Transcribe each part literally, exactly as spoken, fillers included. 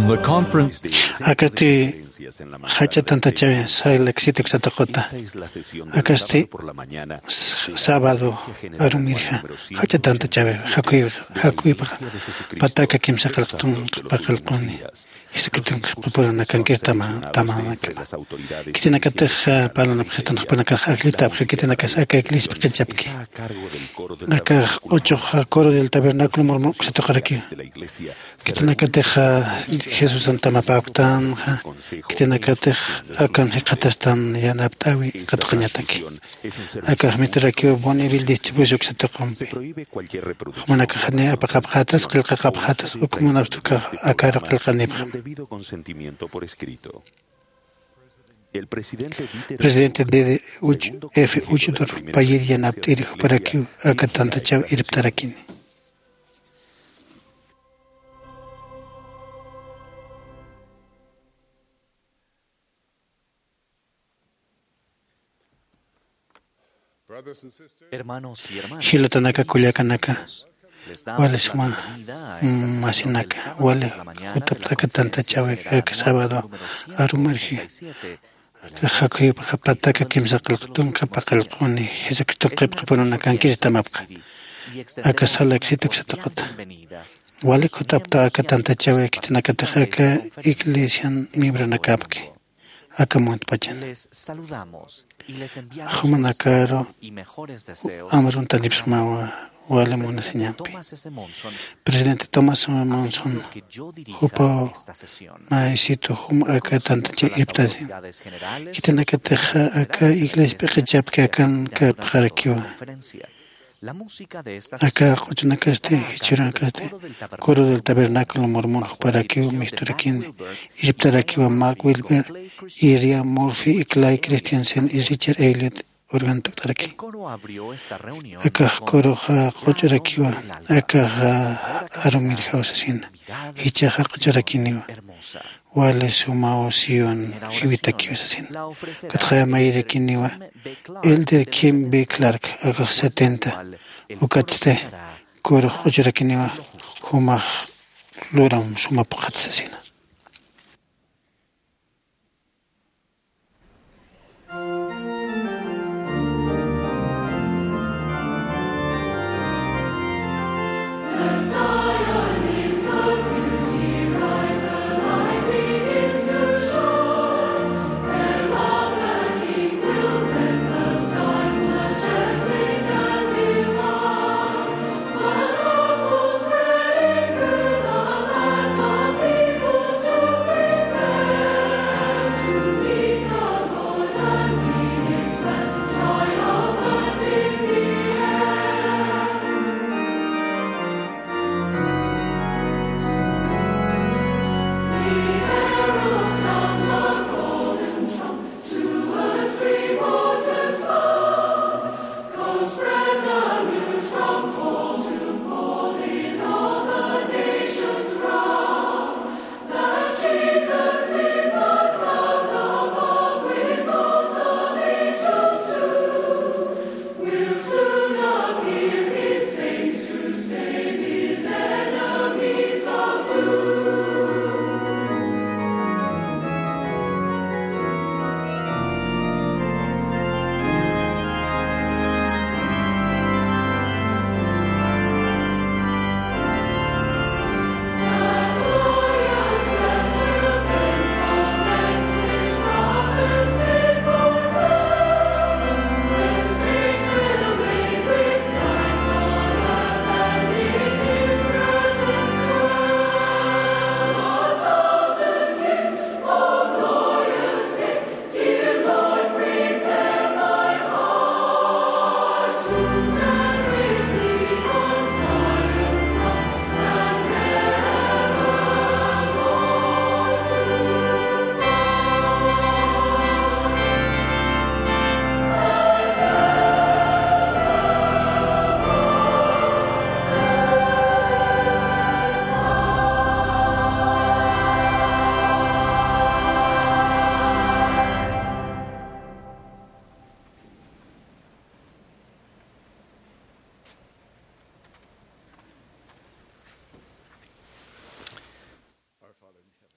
The conference. Akasti jach'a tantachäwi, sala ksiti uksatuquta. Akasti s-, sábado arumirja jach'a tantachäwi, jakuy, jakuypaxa pataka kimsa qillqtun qhipa qillquni. Jesucriston qhipa purunakankir tama, tamanakapa. Khitinakatix, ah, parlanapxistan jupanakax ajllitapxi, khitinakas aka iglesia p'iqichapki. Aka q'uchux, ah, coro del tabernáculo mormon uksatuqarakiw. Khitinakatix, ah, Jesusan tamapäktanxa, khitinakatix akan jikxatastan yanapt'äwi katuqañataki. Akax miturarakiw Bonneville distribución uksatuqumpi. Jumanakax janiw apaqapxätas, qillqaqapxätas, uk munapxta ukax akaru qillqanipxam. Presidente Dede Uch-, F. Uchtdorf payir yanapt'iri juparakiw aka tantachäw irptarakini. Brothers and sisters, hermanos y hermanas, jilatanaka, kullakanaka, les damos la bienvenida a esta sesión del sábado por la mañana de la conferencia general número cincuenta y siete de la Iglesia Católica. Wali suma, mm, masinakas, wali jutapt'aka tantachäwi aka sábado arumirji. Aka jakuypaxa pataka kimsa qillqtun qhipa qillquni, Jesucriston qhipa purunakankir tamapxi. Aka sala ksiti uksatuquta. Walik jutapta aka tantachäwi, khitinakatix aka iglesian miembronakapki aka muntpachan. Jumanakaru amruntanipxsmawa wali munasiñampi. Presidente Thomas Monson, jupaw maysitu jum aka tantachäw irptasi. Khitinakatix aka iglesia p'iqichapki akan kapxarakiwa. Aka q'uchunakasti, jichhürunakasti, coro del tabernáculo mormon juparakiw misturakini, irptarakiwa Mark Wilber, Irian Murphy, Clay Christensen, Richard Elliot, organ tukt'araki. Akax coroxa q'uch'urakiwa, akaxa arumirjaw sasina, jichhaxa q'uch'urakiniwa. Wali sumaw Sión jiwitakiw sasina. Ukatxa mayirakiniwa Elder Kim B. Clark, akax setenta. Ukatsti corux q'uchurakiniwa, jumax luram suma phuqhat sasina.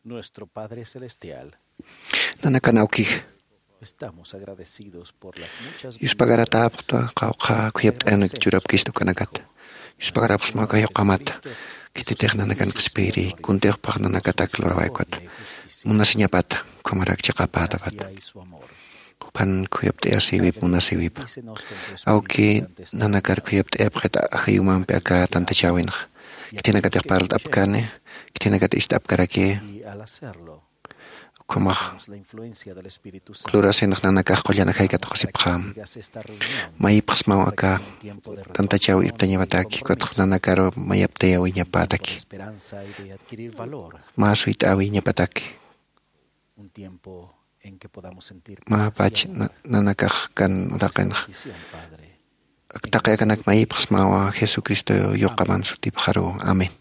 Nuestro Padre Celestial, Nanakan awkix, estamos agradecidos por las muchas yuspagaratapuxta qawqha khuyapt'ayanak churapkista ukanakata. Yuspagarapxsma uka yuqamata. Khititix nanakan qhispiyiri kuntix phax nanakatak lurawaykuta. Munasiñapata, ukhamarak chiqapätapata. Juphan khuyapt'ayasiwip, munasiwip. Awki nanakar khuyapt'ayapxit ajayumampi aka tantachäwinxa. Khitinakatix parlt'apkani, khitinakat ist'apkaraki. Ukhamax lurasinx nanakax qullan ajaykat qusipxäm. Mayipxsmaw aka tantachäwi irptañapataki, ukatx nanakaru mayaptayäwiñapataki. Mä suyt'äwiñapataki. Mä pach na-, nanakax kan uraqinxa. Taqi akanak mayipxsmawa Jesucristo yuqaman sutipxaru. Amén.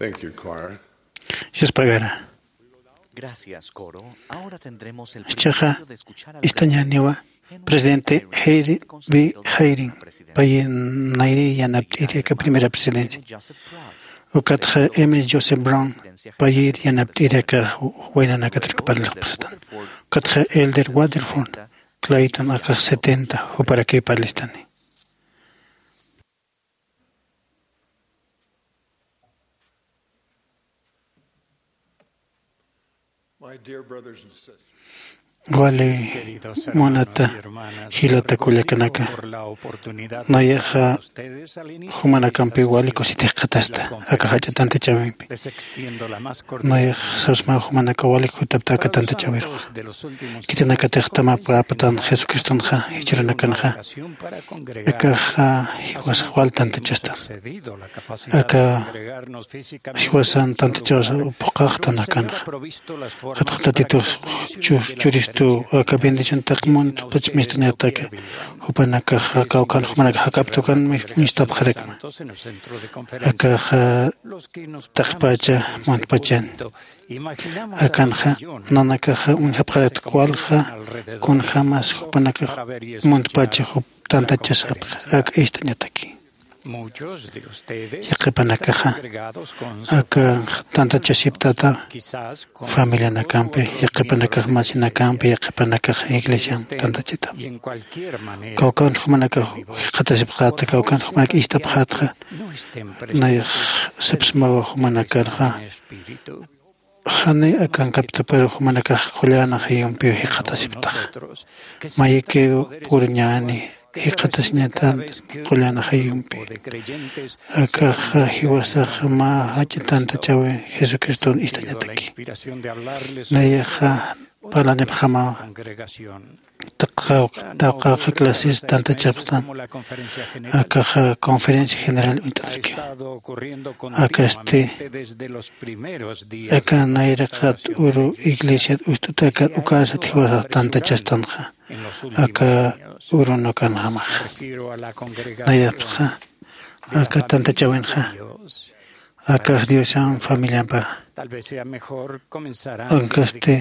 Thank you, choir. Yuspagarä. Gracias, coro. Ahora tendremos el privilegio de escuchar al presidente Henry B. Hayring. Jichhaxa istañäniwa presidente Henry B. Hayring, payïr nayri yanapt'iri aka primera presidencia. Ukatxa M. Joseph Brown, payïr yanapt'iri aka waynanakataraki parlxastan. Ukatxa Elder Waterford Clayton, akax setenta, juparakiw parlistani. My dear brothers and sisters, wali munata jilata kullakanaka, nayaxa jumanakampi wali kusiti jikxatasta aka jach'a tantachäwimpi. Nayax sapsmaw jumanakaw wali jutapta aka tantachäwirux. Khitinakatix tamapäptan Jesucristonxa jichhürunakanxa akaxa jiwasax wal tantachastan. Aka jiwasan tantachawsa phuqhaxtan akanxa. Qhatxtatitux churistu aka bendición taqi muntpach mistuñataki, jupanakaxa kawkhan jumanakax jak'aptukan mistapxarakma. Akaxa taqpacha muntpachan. Akanxa nanakaxa uñjapxarakta walja kunjämas jupanakax muntpacha jup tantachasapxa ak istañataki. Yaqhipanakaxa akanx tantachasiptata familianakampi, yaqhipanakax masinakampi, yaqhipanakax iglesiamp tantachata. Kawkan jumanakax jikxatasipxäta, kawkan jumanak istapxätxa, nayax sapsmawa jumanakarxa. Jani akankaptapar jumanakax qullan ajayumpiw jikxatasiptaxa. Mayikiw puriñäni jikxatasiñatan qullan ajayumpi. Akaxa jiwasax mä jach'a tantachäwi Jesucriston istañataki. Nayaxa parlanipxamawa. Taqaw taqaw clases tantachapxtan. Akaxa conferencia general uñt'atarakiw. Akasti aka nayraqat uru iglesiat ust'utakat ukasat jiwasax tantachastanxa aka urunukanjamaxa. Nayapxa aka tantachäwinxa akax Diosan familiampa. Ankasti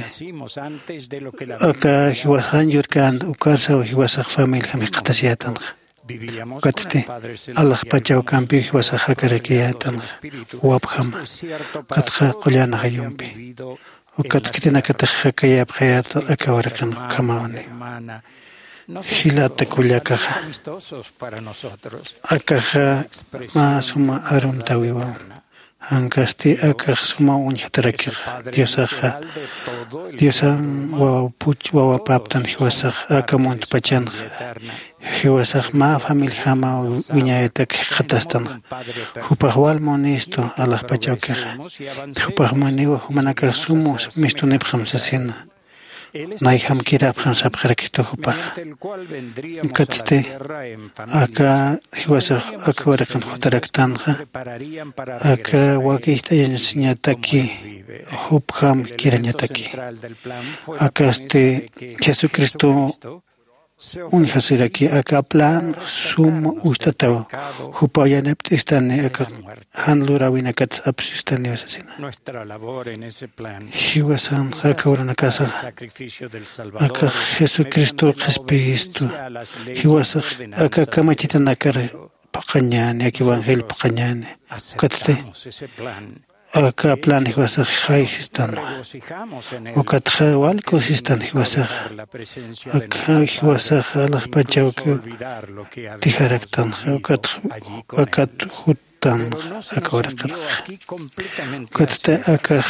aka jiwasax jan yurkänta ukarsaw jiwasax familiam jikxatasiyätanxa. Ukatsti alaxpachawkampiw jiwasax jakarakiyätanxa wapjama. Ukatxa qullan ajayumpi. Ukat khitinakatix jakayäpxayäta aka waraqin ukhamawni. Jilata kullakaxa, akaxa mä suma arumtäwiwa. Jankasti akax suma uñjatarakixa. Diosaxa, Diosan wawapuch wawapäptan jiwasax aka muntpachanxa. Jiwasax mä familijama wiñaytak jikxatastanxa. Jupax wal munistu alaxpachawkixa. Jupax muniwa jumanakax sum mistunipxam sasina. Nayjam kirapxam sapxarakistu jupax. Ukatsti aka jiwasax aka waraqin jutaraktanxa, aka waki ist'ayañasiñataki jupjam kirañataki. Akasti Jesucristo uñjasiraki aka plan sum ust'ataw, jupaw yanapt'istani aka jan luräwinakat apsistaniw sasina. Jiwasanxa aka urunakasaxa akax Jesucristo qhispiyistu. Jiwasax aka kamachitanakar phuqhañäni, aka evangelio phuqhañäni. Ukatsti aka plan jiwasax jaysistanwa. Ukatxa wal kusistan jiwasaxa. Aka jiwasaxa alaxpachawkiw tijaraktanxa. Ukatxa akat juttanxa aka waraqirxa. Ukatsti akax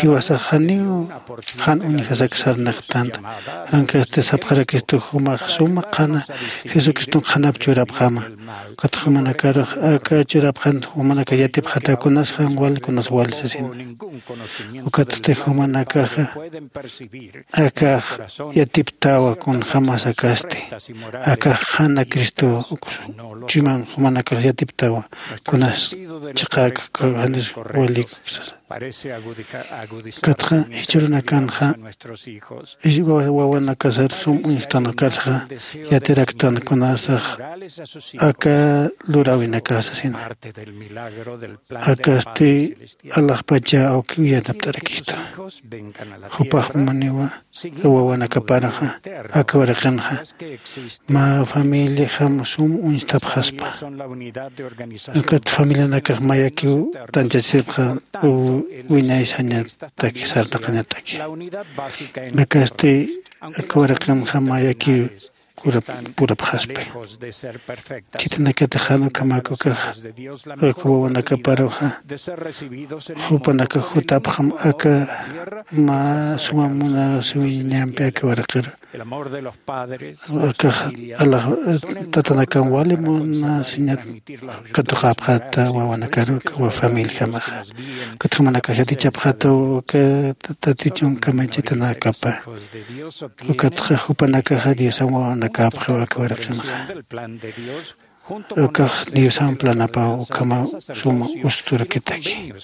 jiwasax janiw jan uñjasak sarnaqtanta. Jankasti sapxarakistu jumax suma qhana Jesucriston qhanap churapxama. Ukat jumanakarux aka churapxan jumanakax yatipxätaw kunas jan wal kunas wal sasina. Ukatsti jumanakaxa akax yatiptawa kunjämas akasti. Akax qhana Cristo chuyman jumanakax yatiptawa kunas chiqäk janis walik sasa. Ukatxa jichhürunakanxa wawanakasar sum uñjtanakatxa yatiraktan kunasax aka luräwinaka sasina. Akasti alaxpacha awkiw yanapt'arakistu. Jupax muniwa wawanakaparuxa aka waraqinxa mä familiajam sum uñstapxaspa. Ukat familianakax mayakiw tanchasipxa wiñay sañataki sarnaqañataki. Akasti aka waraqinxa mayakiw purapxaspi. Khitinakatix jan ukhamäkukax aka wawanakaparuxa jupanakax jutapxam aka mä suma munasiwiñampi aka waraqiru. Akax alax tatanakam wali munasiñat katuqäpxäta wawanakaru aka familiajamaxa. Ukat jumanakax yatichapxätaw aka tatichun kamachitanakapa. Ukatxa jupanakaxa diosan wawanakäpxiw aka waraqinxa. Ukax diosan planapaw ukhamaw suma usturakitaki.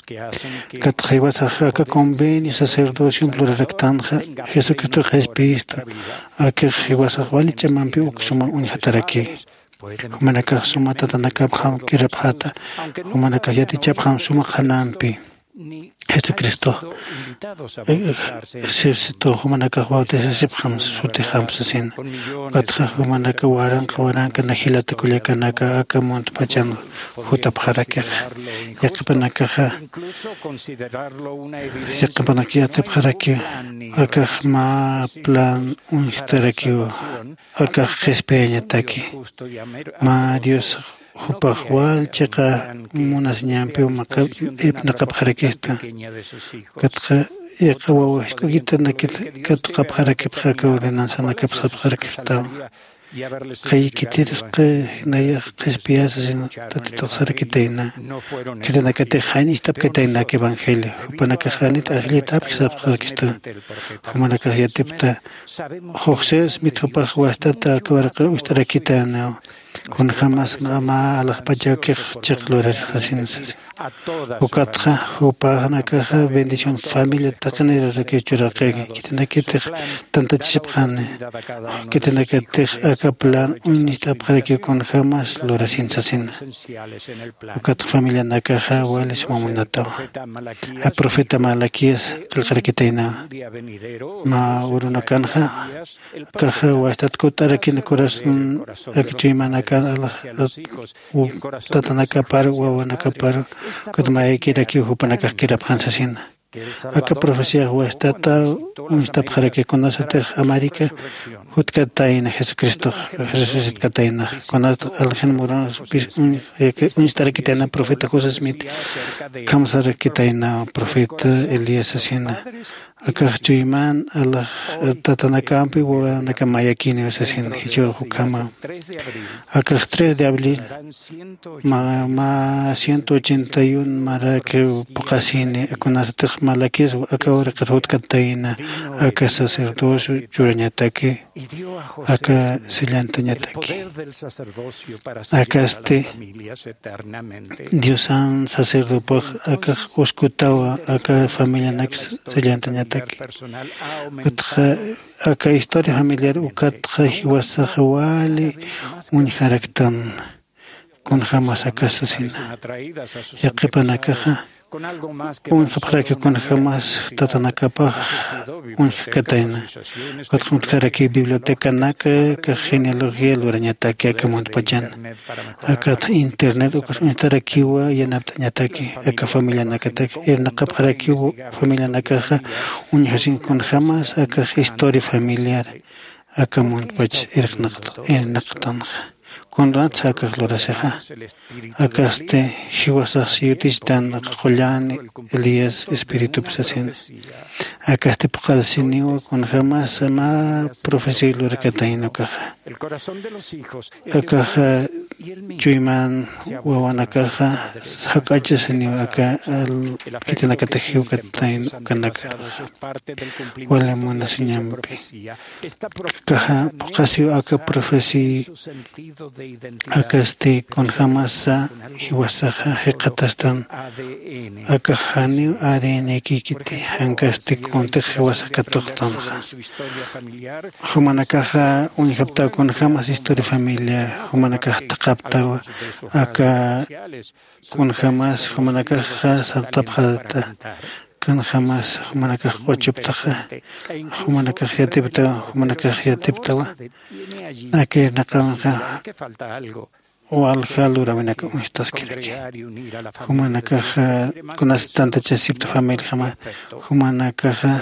Ukatxa jiwasax aka convenio sacerdociomp luraraktanxa jesucristox qhispiyistu. Akix jiwasax wali ch'amampi uk suma uñjataraki. Jumanakax suma tatanakapxam kirapxäta. Jumanakax yatichapxam suma qhanampi jesucristo sipsitu jumanakax bautisasipxam sutixamp sasina. Ukatxa jumanaka waranqa waranka najilata kullakanaka aka muntpachan jutapxarakixa. Yaqhipanakaxa yaqhipanak yatipxarakiw akax mä plan uñjtarakiw. Akax qhispiyañataki mä dios jupax wal chiqa munasiñampiw maqap irpnaqapxarakistu. Ukatxa yaqha wawa jisk'ukitanakit katuqapxarakipxa aka ordenanzanakap sapxarakipxtaw. Qhiy khitirusqa nayax qhispiyasa sino tatituxsarakitayna. Khitinakatix jan ist'apkatayna aka evangelio jupanakax janit ajllit apki sapxarakistu. Jumanakax yatipta joxes mit jupax wastata aka waraqir ucht'arakitaynaw. Kunjämas mä alaxpachawkix chiq lurarxasin sasa. Ukatxa jupanakaxa bendición familia taqinirarakiw churaqaki khitinakitix tantachisipxani. Khitinakatix aka plan uñist'apxarakiw kunjämas lurasin sasina. Ukatxa familianakaxa wali suma munatawa. Profeta malaquías qillqarakitaynawa. Mä urunakanxa akaxa wastat kut'arakina corazón aka chuymanakan alax tatanakapar wawanakapar ukat mayakirakiw jupanakax kirapxan sasina. Aka profecíax wastata uñstapxaraki kunasatix américa jutkatayna jesucristox resucitkataynax kunasatix alxin muranpis uñstarakitayna profeta josé smith kamsarakitayna profeta elías sasina. Akax chuyman alax tatanakampi wawanakam mayakiniw sasin jichhürux ukhama. Akax tres de abril mä ciento ochenta y un marakiw puqasini kunasatix malaquías aka uraqir jutkatayna aka sacerdocio churañataki aka sellantañataki. Akasti diosan sacerdopax akax uskutawa aka familianak sellantañataki. Ukatxa aka historia familiar ukatxa jiwasax wali uñjaraktan. Kunjämas aka sasina yaqhipanakaxa uñjapxaraki kunjämas tatanakapax uñjkatayna. Ukatxa uñjkarakiw bibliotecanaka aka genealogía lurañataki aka muntpachan. Akat internet ukas uñjtarakiwa yanapt'añataki aka familianakatak irnaqapxarakiw familianakaxa uñjasin kunjämas akax historia familiar aka muntpach irnaqtanxa. Kunatsa akax lurasixa akasti jiwasax siyutichitan qullan elías espiritupi sasina. Akasti phuqhasiniwa kunjämasa mä profecía lurakatayna ukaxa. Akaxa chuyman wawanakaxa jak'achasiniw aka khitinakatix jiwkatayna ukanakxa. Wali munasiñampi akaxa phuqhasiw aka profecía akasti kunjämasa jiwasaxa jikxatastan. Akax janiw adn kikiti jankasti kuntix jiwasa katuqtanxa. Jumanakaxa uñjaptaw kunjämas historia familiar jumanakax thaqhaptawa aka kunjämas jumanakaxa sartapxarata kunjämas jumanakax q'uchuptaxa jumanakax yatiptawa jumanakax yatiptawa. Aka irnaqawanxa walja luräwinak uñstaskiraki. Jumanakaxa kunasatantachasipta familiajama jumanakaxa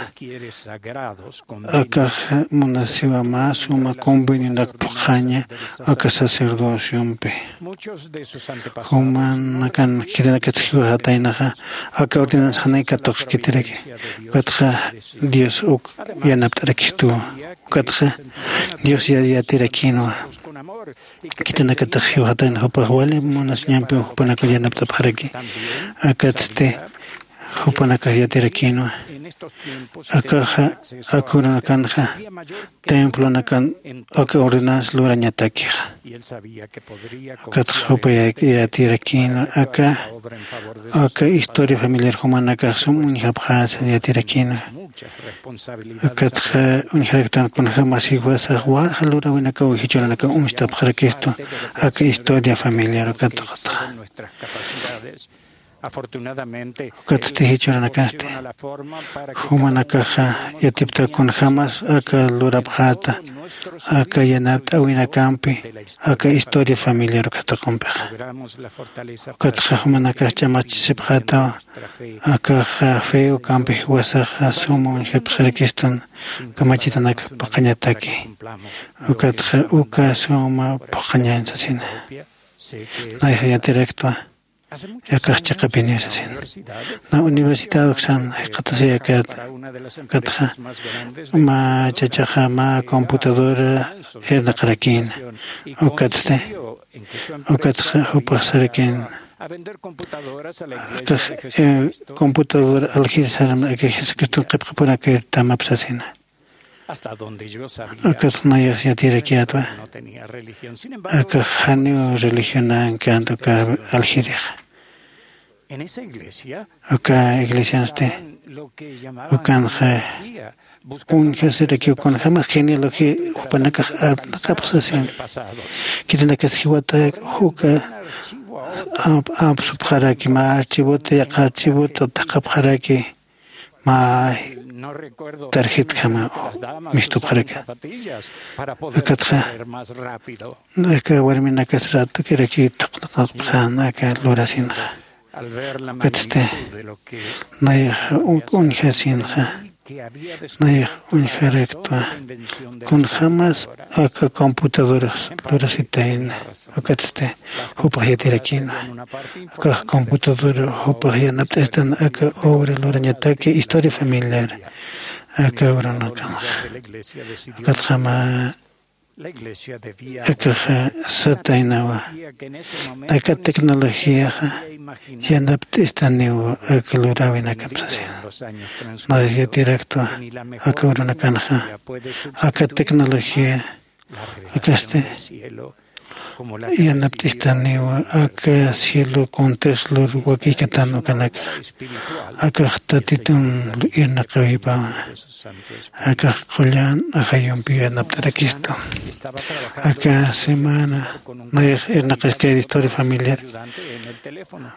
akax munasiwa mä suma convenionak phuqhaña aka sacerdociompi. Jumanakan khitinakat jiwxataynaxa aka ordenanza janay katuqkitiraki. Ukatxa dios uk yanapt'arakistuwa. Ukatxa dios yatirakïnwa. Khitinakatix jiwxatayna jupax wali munasiñampiw jupanakaw yanapt'apxaraki. Akatsti jupanakax yatirakïnwa. Akaxa aka urunakanxa templonakan aka ordenanza lurañatakixa. Ukatxa jupa yatirakïnwa aka aka historia familiar jumanakax sum uñjapxäsa yatirakïnwa. Ukatxa uñjaraktan kunjämas jiwasax walja luräwinakaw jichhürunakan uñstapxarakistu aka historia familiar ukatxa. Ukatsti jichhürunakansti jumanakaxa yatipta kunjämas aka lurapxäta aka yanapt'äwinakampi aka historia familiar uka taqumpixa. Ukatxa jumanakax ch'amachisipxätawa akaxa fe ukampi jiwasaxa suma uñjapxirakistun kamachitanak phuqhañataki. Ukatxa uka suma phuqhañañ sasina. Nayxa yatiraktwa akax chiqapiniw sasina. Na universidad uksan jikxatasiyakät ukatxa mä chachaxa mä computadora irnaqarakïna. Ukatsti ukatxa jupax sarakïna. Akax computadora aljir saram aka jesucriston qhipqapurakir tamap sasina. Ukat nayax yatirakiyätwa. Akax janiw religionankänta uka aljirixa. Uka iglesiansti ukanxa uñjasirakiw kunjämas genealogía jupanakax arnaqapxsasin. Khitinakas jiwata juka apsupxaraki mä archivota yaqha archivota thaqhapxaraki. Mä tarjetjama mistupxaraki. Ukatxa aka warminakas ratukiraki thuqnaqapxän aka lurasinxa. Ukatsti nayax uñjasinxa nayax uñjaraktwa kunjämas aka computadoras lurasitayna. Ukatsti jupax yatirakïnwa. Akax computadora jupax yanapt'istan aka obra lurañataki historia familiar aka urunakanxa. Ukatxa mä akaxa sataynawa aka tecnologiaxa yanapt'istaniw aka luräwinakap sasina. Nayax yatiraktwa aka urunakanxa aka tecnología akasti yanapt'istaniwa aka cielo kuntix lur wakïkatan ukanakax. Akax tatitun irnaqiwipawa. Akax qullan ajayumpi yanapt'arakistu. Aka semana nayax irnaqiskayri historia familiar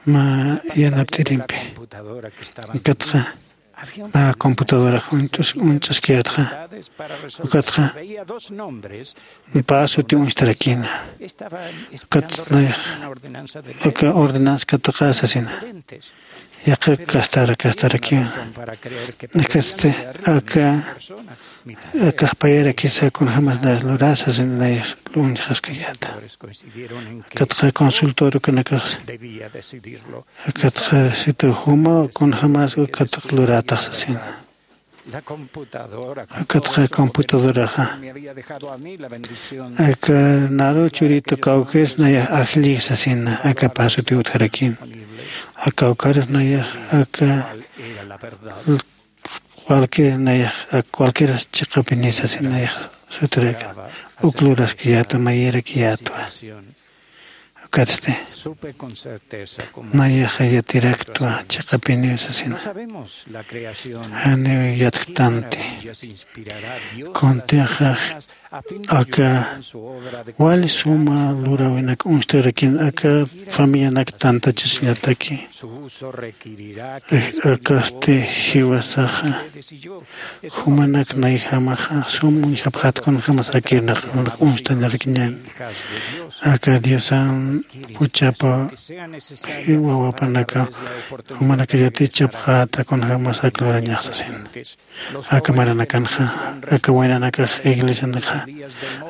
mä yanapt'irimpi. Ukatxa mä computadorax uñch'askayätxa. Ukatxa pä suti uñstarakïna. Ukat nayax aka ordenanza katuqä sasina. Yaqha kastar kastarakiwa. Ukatsti aka akax payarakisa kunjämas nayax lurä sasina nayax uñjaskayäta. Ukatxa consultor ukanakax ukatxa situ juma kunjämas ukat lurätax sasina. Ukatxa computadoraxa aka naru churitu kawkir nayax ajlli sasina aka pasutiw utjarakïn. Aka kawkir nayax aka cualquier nayax aka cualquier chiqapini sasina nayax sutiraka. Uk luraskiyätwa mayirakiyätwa. Ukatsti nayaxa yatiraktwa chiqapiniw sasina. Janiw yatktanti kuntixa aka wali suma luräwinak uñstarakin aka familianak tantachasiñataki. Akasti jiwasaxa jumanak nayjamaxa sum uñjapxät kunjämas akirnaq uñst'añarakiñäni. Aka diosan juchapa wawapanaka jumanaka yatichapxäta kunjämas ak lurañax sasina. Aka maranakanxa aka waynanakax iglesianakxa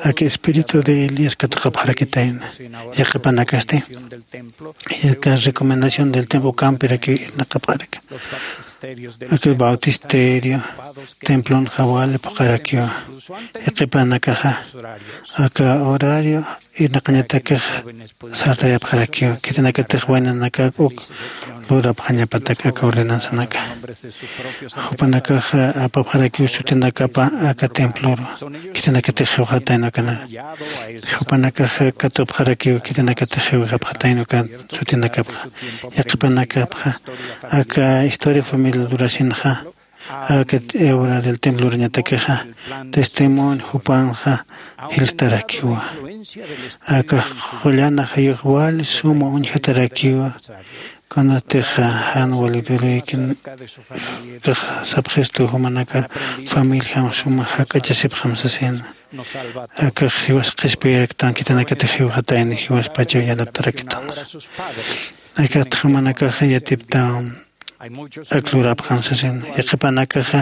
aka espíritu de elías katuqapxarakitayna. Yaqhipanakasti aka recomendación del templo ukampirakiw irnaqapxaraki. Aka bautisterio templonxa wali phuqharakiwa. Yaqhipanakaxa aka horario irnaqañatakix sartayapxarakiw khitinakatix waynanakak uk lurapxañapatak aka ordenanzanaka. Jupanakaxa apapxarakiw sutinakapa aka temploru khitinakatix jiwxatayna ukanaka. Jupanakaxa katupxarakiw khitinakatix jiwxapxatayna uka sutinakapxa. Yaqhipanakapxa aka historia familia lurasinxa aka obra del templo lurañatakixa testimonio jupanxa jiltarakiwa. Aka qullan ajayux wali suma uñjatarakiwa. Kunatixa jan wali duruykin kax sapxistu jumanakar familiam suma jak'achasipxam sasina. Akax jiwas qhispiyaraktan khitinakatix jiwxatayni jiwaspachaw yanaptaraktanxa. Akaxt jumanakaxa yatiptam ak lurapxam sasin. Yaqhipanakaxa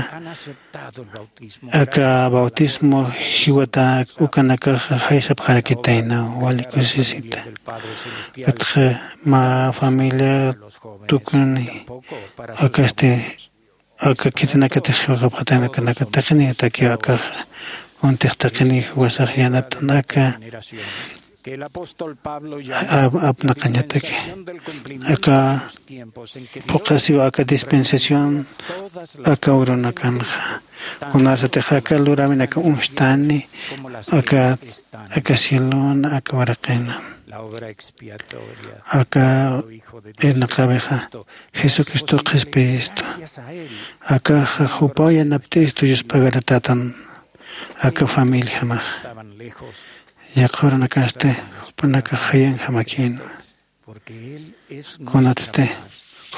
aka bautismo jiwata ukanakaxa jaysapxarakitaynaw wali kusisita. Ukatxa mä familia tukuni akasti aka khitinakatix jiwxapxatayna ukanaka taqiniyatakiw akaxa. Kuntix taqiniy jiwasax yanaptan aka apnaqañataki aka phuqhasiw aka dispensación aka urunakanxa. Kunasatix aka luräwinaka uñstani aka aka cielona aka waraqina aka irnaqawixa jesucristo qhispiyistu. Akaxa jupaw yanapt'istu yuspagartatan aka familiajamax. Yaqha urunakasti jupanakax jayanjamakïnwa. Kunatsti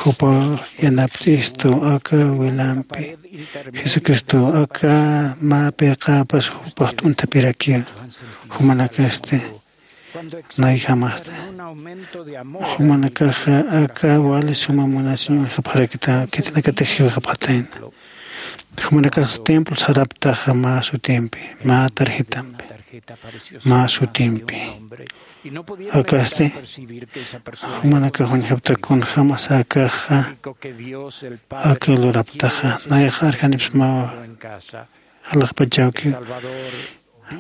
jupaw yanapt'istu aka wilampi jesucristo aka mä pirqäpas jupax t'untapirakiwa. Jumanakasti nayjamaxta jumanakaxa aka wali suma munasiñuxapxarakita khitinakatix jiwxapxatayna. Jumanakax templo saraptaxa mä sutimpi mä tarjetampi mä sutimpi. Akasti jumanakax uñjapta kunjämas akaxa aka luraptaxa nayax arjanipsmawa alaxpachawkiw.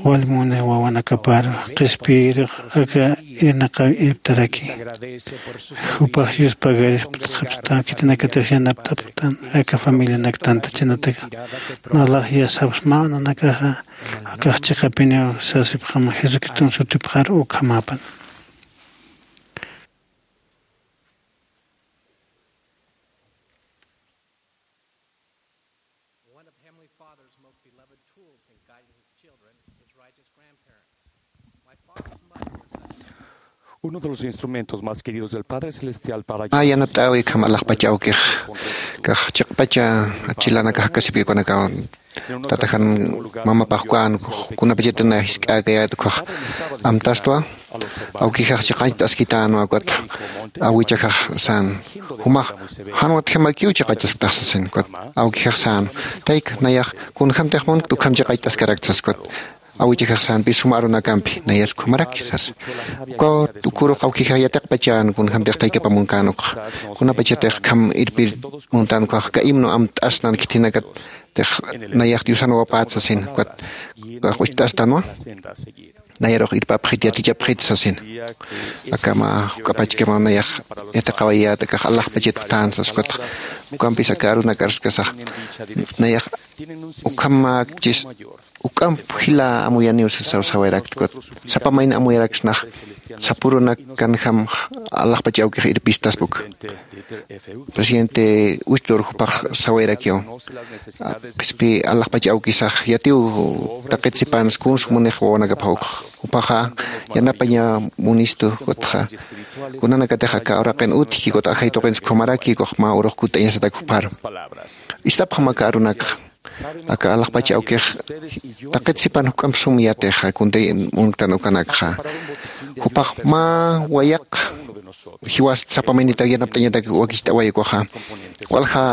Wali muni wawanakapar qhispiyirux aka irnaqaw irptaraki. Jupax yuspagarisptxapxtan khitinakatix yanapt'apxtan aka familianak tantachanataka. Nalax yasapxsmaw nanakaxa akax chiqapiniw sasipxam jesucriston sutipxar ukhamäpan. One of Heavenly Father's most beloved tools in guiding his children is righteous grandparents. My father's mother was such a Uno de los instrumentos más queridos del Padre Celestial para Ah, yanapt'äwi kham alaxpacha awkix kax chiqpacha chilanakax akasipkikunakaw tatajan mamapax ukan kunapachatana jisk'äkayät ukhax amtastwa. Awkixax chiqañcht'askitänwa ukat awichaxax sän jumax jan watjamakiw chiqañcht'asktax sasin ukat awkixax sän tayk nayax kunjämtix munkta ukham chiqañcht'askarakta sas ukat awichajaxsanpi suma arunakampi nayas ukhamaraki sasa. Ukaw ukurux awkijax yatiqpachan kunjamtix taykapamunkän ukxa, kunapachatix kham irpir muntan ukhax ka himno amt'asnan khithinakatix nayax diosan wapät sasin ukat ukax ucht'astanwa. Nayarux irpapxit yatichapxit sasin. Akama juk'apachkama nayax yatiqawayät akax alaxpachatktän sas ukatx ukampis aka arunakar saskasax nayax ukhamäkchis uk'amp jila amuyaniw sasaw sawayrakta ukat sapa mayni amuyaraksnax sapürunak kanjam alaxpach awkix irpistaspa uka. Presidente uchtur jupax sawayrakiw qhispï alaxpach awkisax yatiw taqit sipansa kuns munix wawanakapxa ukxa jupaxa yanapaña munistu ukatxa kunanakatix aka uraqin utjki ukat ajay tuqinsa ukhamaraki ukax mä urux kutt'añasatak jupharu. Ist'apxam aka arunakxa aka alaxpach awkix taqit sipan juk'amp sum yatixa kuntay munktan ukanakxa jupax mä wayaq jiwast sapa maynitak yanapt'añatak wakicht'away ukaxa walja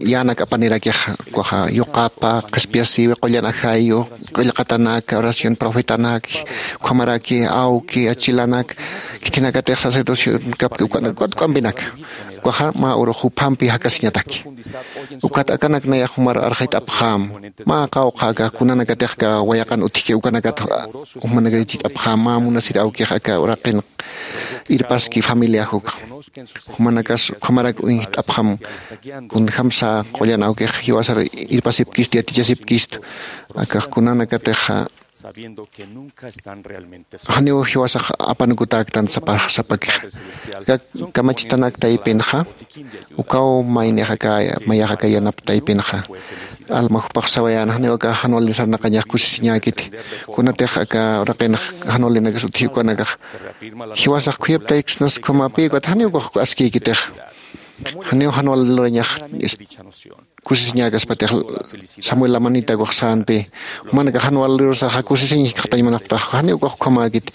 yänak apanirakixa ukaxa yuqapa qhispiyasiwi qullan ajayu qillqatanak oración profetanak ukhamaraki awki achilanak khithinakatix sacerdocio kapki ukanak ukat k'ampinak ukaxa mä urux juphampi jakasiñataki. Ukat akanak nayax jumar arxayt'apxäm mä qawqha aka kunanakatix aka wayaqan utjki ukanakat jumanakatit'apxäm mä munasir awkix aka uraqin irpaski familiax ukxa jumanakas ukhamarak uñjt'apxam kunjamsa qullan awkix jiwasar irpasipkistu yatichasipkistu akax kunanakatixa janiw jiwasax apanukutäktan sapakixa. Aka kamachitanak taypinxa ukaw maynix aka mayax aka yanap taypinxa alma jupax sawayän janiw aka jan wali sarnaqañax kusisiñäkiti kunatix aka uraqinx jan walinakas utji ukanakax jiwasax khuyaptayksnas ukhamapï ukat janiw ukax askïkitix janiw jan wali lurañax kusisiñäkaspatix samuel lamanita ukax sänpi jumanakax jan wali lurusaxa kusisiñ jikxatañ munapktax janiw ukax ukhamäkiti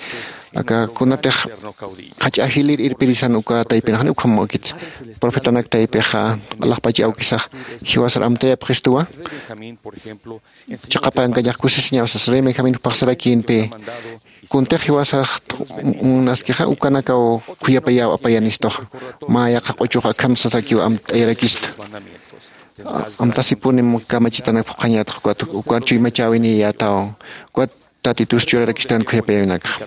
aka kunatix jach'a jilir irpirisan uka taypin janiw ukhamäkiti profetanak taypixa alaxpach awkisax jiwasar amtayapxistuwa chiqapankañax kusisiñaw sas rey benjamin jupax sarakïnpi kuntix jiwasax munaskixa ukanakaw khuyapayäw apayanistuxa mä yaqha q'uchux akham sasakiw amt'ayarakistu amtasipunim kamachitanak phuqhañätxa ukat ukat chuymachäwiniyätaw ukat tatitus churarakistan khuyapayäwinakxa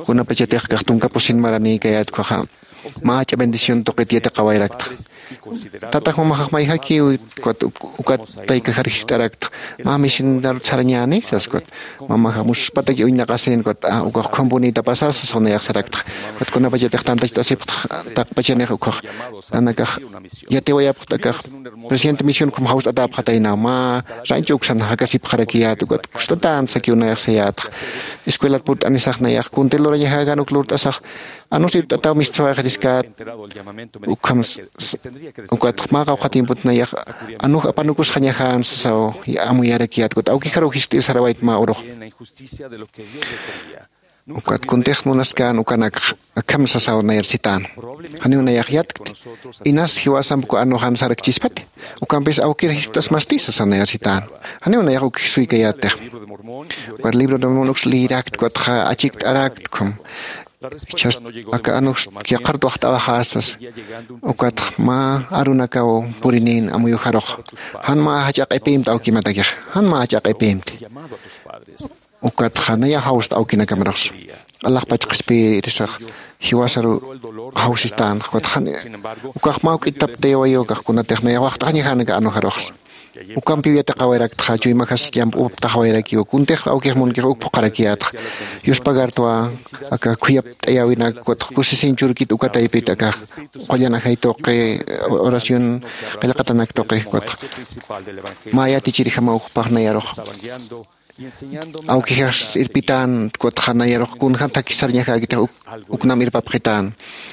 kunapachatix kax tunka pusin maranïkayät ukhaxa mä jach'a bendición tuqit yatiqawayrakta tatax mamaxax mayjakiw ukat ukat taykajar jist'arakta mä misinarut sarañäni sas ukat mamaxa muspataki uñnaqasin ukat ukax ukhampunïtapasa sasaw nayax sarakta ukat kunapachatix tantacht'asipxta taqpachanix ukax nanakax yatiwayapxta akax presidente misión ukham jawst'atäpxataynaw mä rancho uksan jakasipxarakiyät ukat kust'atän sakiw nayax sayätxa escuelat purt'anisax nayax kunti lurañajakan uk lurt'asax anus irt'ataw mistsuwayxatiskat ukham ukat mä qawqha tiempot nayax anuj apanukusxañajan sasaw amuyarakiyät ukat awkijaruw jiskt'ir sarawayt mä urux ukat kuntix munaskän ukanak akham sasaw nayar sitän janiw nayax yatkti inas jiwasamp uka anujan sarakchispati ukampis awkir jiskt'asmasti sasaw nayar sitän janiw nayax ukjisuykayätix ukat libro de mormon uks liyirakt ukatxa achikt'arakt ukham ichhast aka anux yaqhartwax t'awaxäsas ukatx mä arunakaw purinin amuyuxarux jan mä jach'a q'ipïmti awkimatakixa jan mä jach'a q'ipïmti ukatxa nayax jawsta awkinakamarux alaxpach qhispiyirisax jiwasaru jawsistän ukatxa ukax mä juk'it taptayawayu ukax kunatix nayax waxt'añajanaka anuxaruxsa ukampiw yatiqawayraktxa chuymajas yamp'uptaxawayrakiw kuntix awkix munkix uk phuqharakiyätxa yuspagartwa aka khuyapt'ayäwinak ukatx kusisiñ churkit uka taypit aka qullan ajay tuqi oración qillqatanak tuqi ukatx mä yatichirjamaw jupax nayarux awkixas irpitän ukatxa nayarux kunjam thakhi sarñakäkitix uknam irpapxitän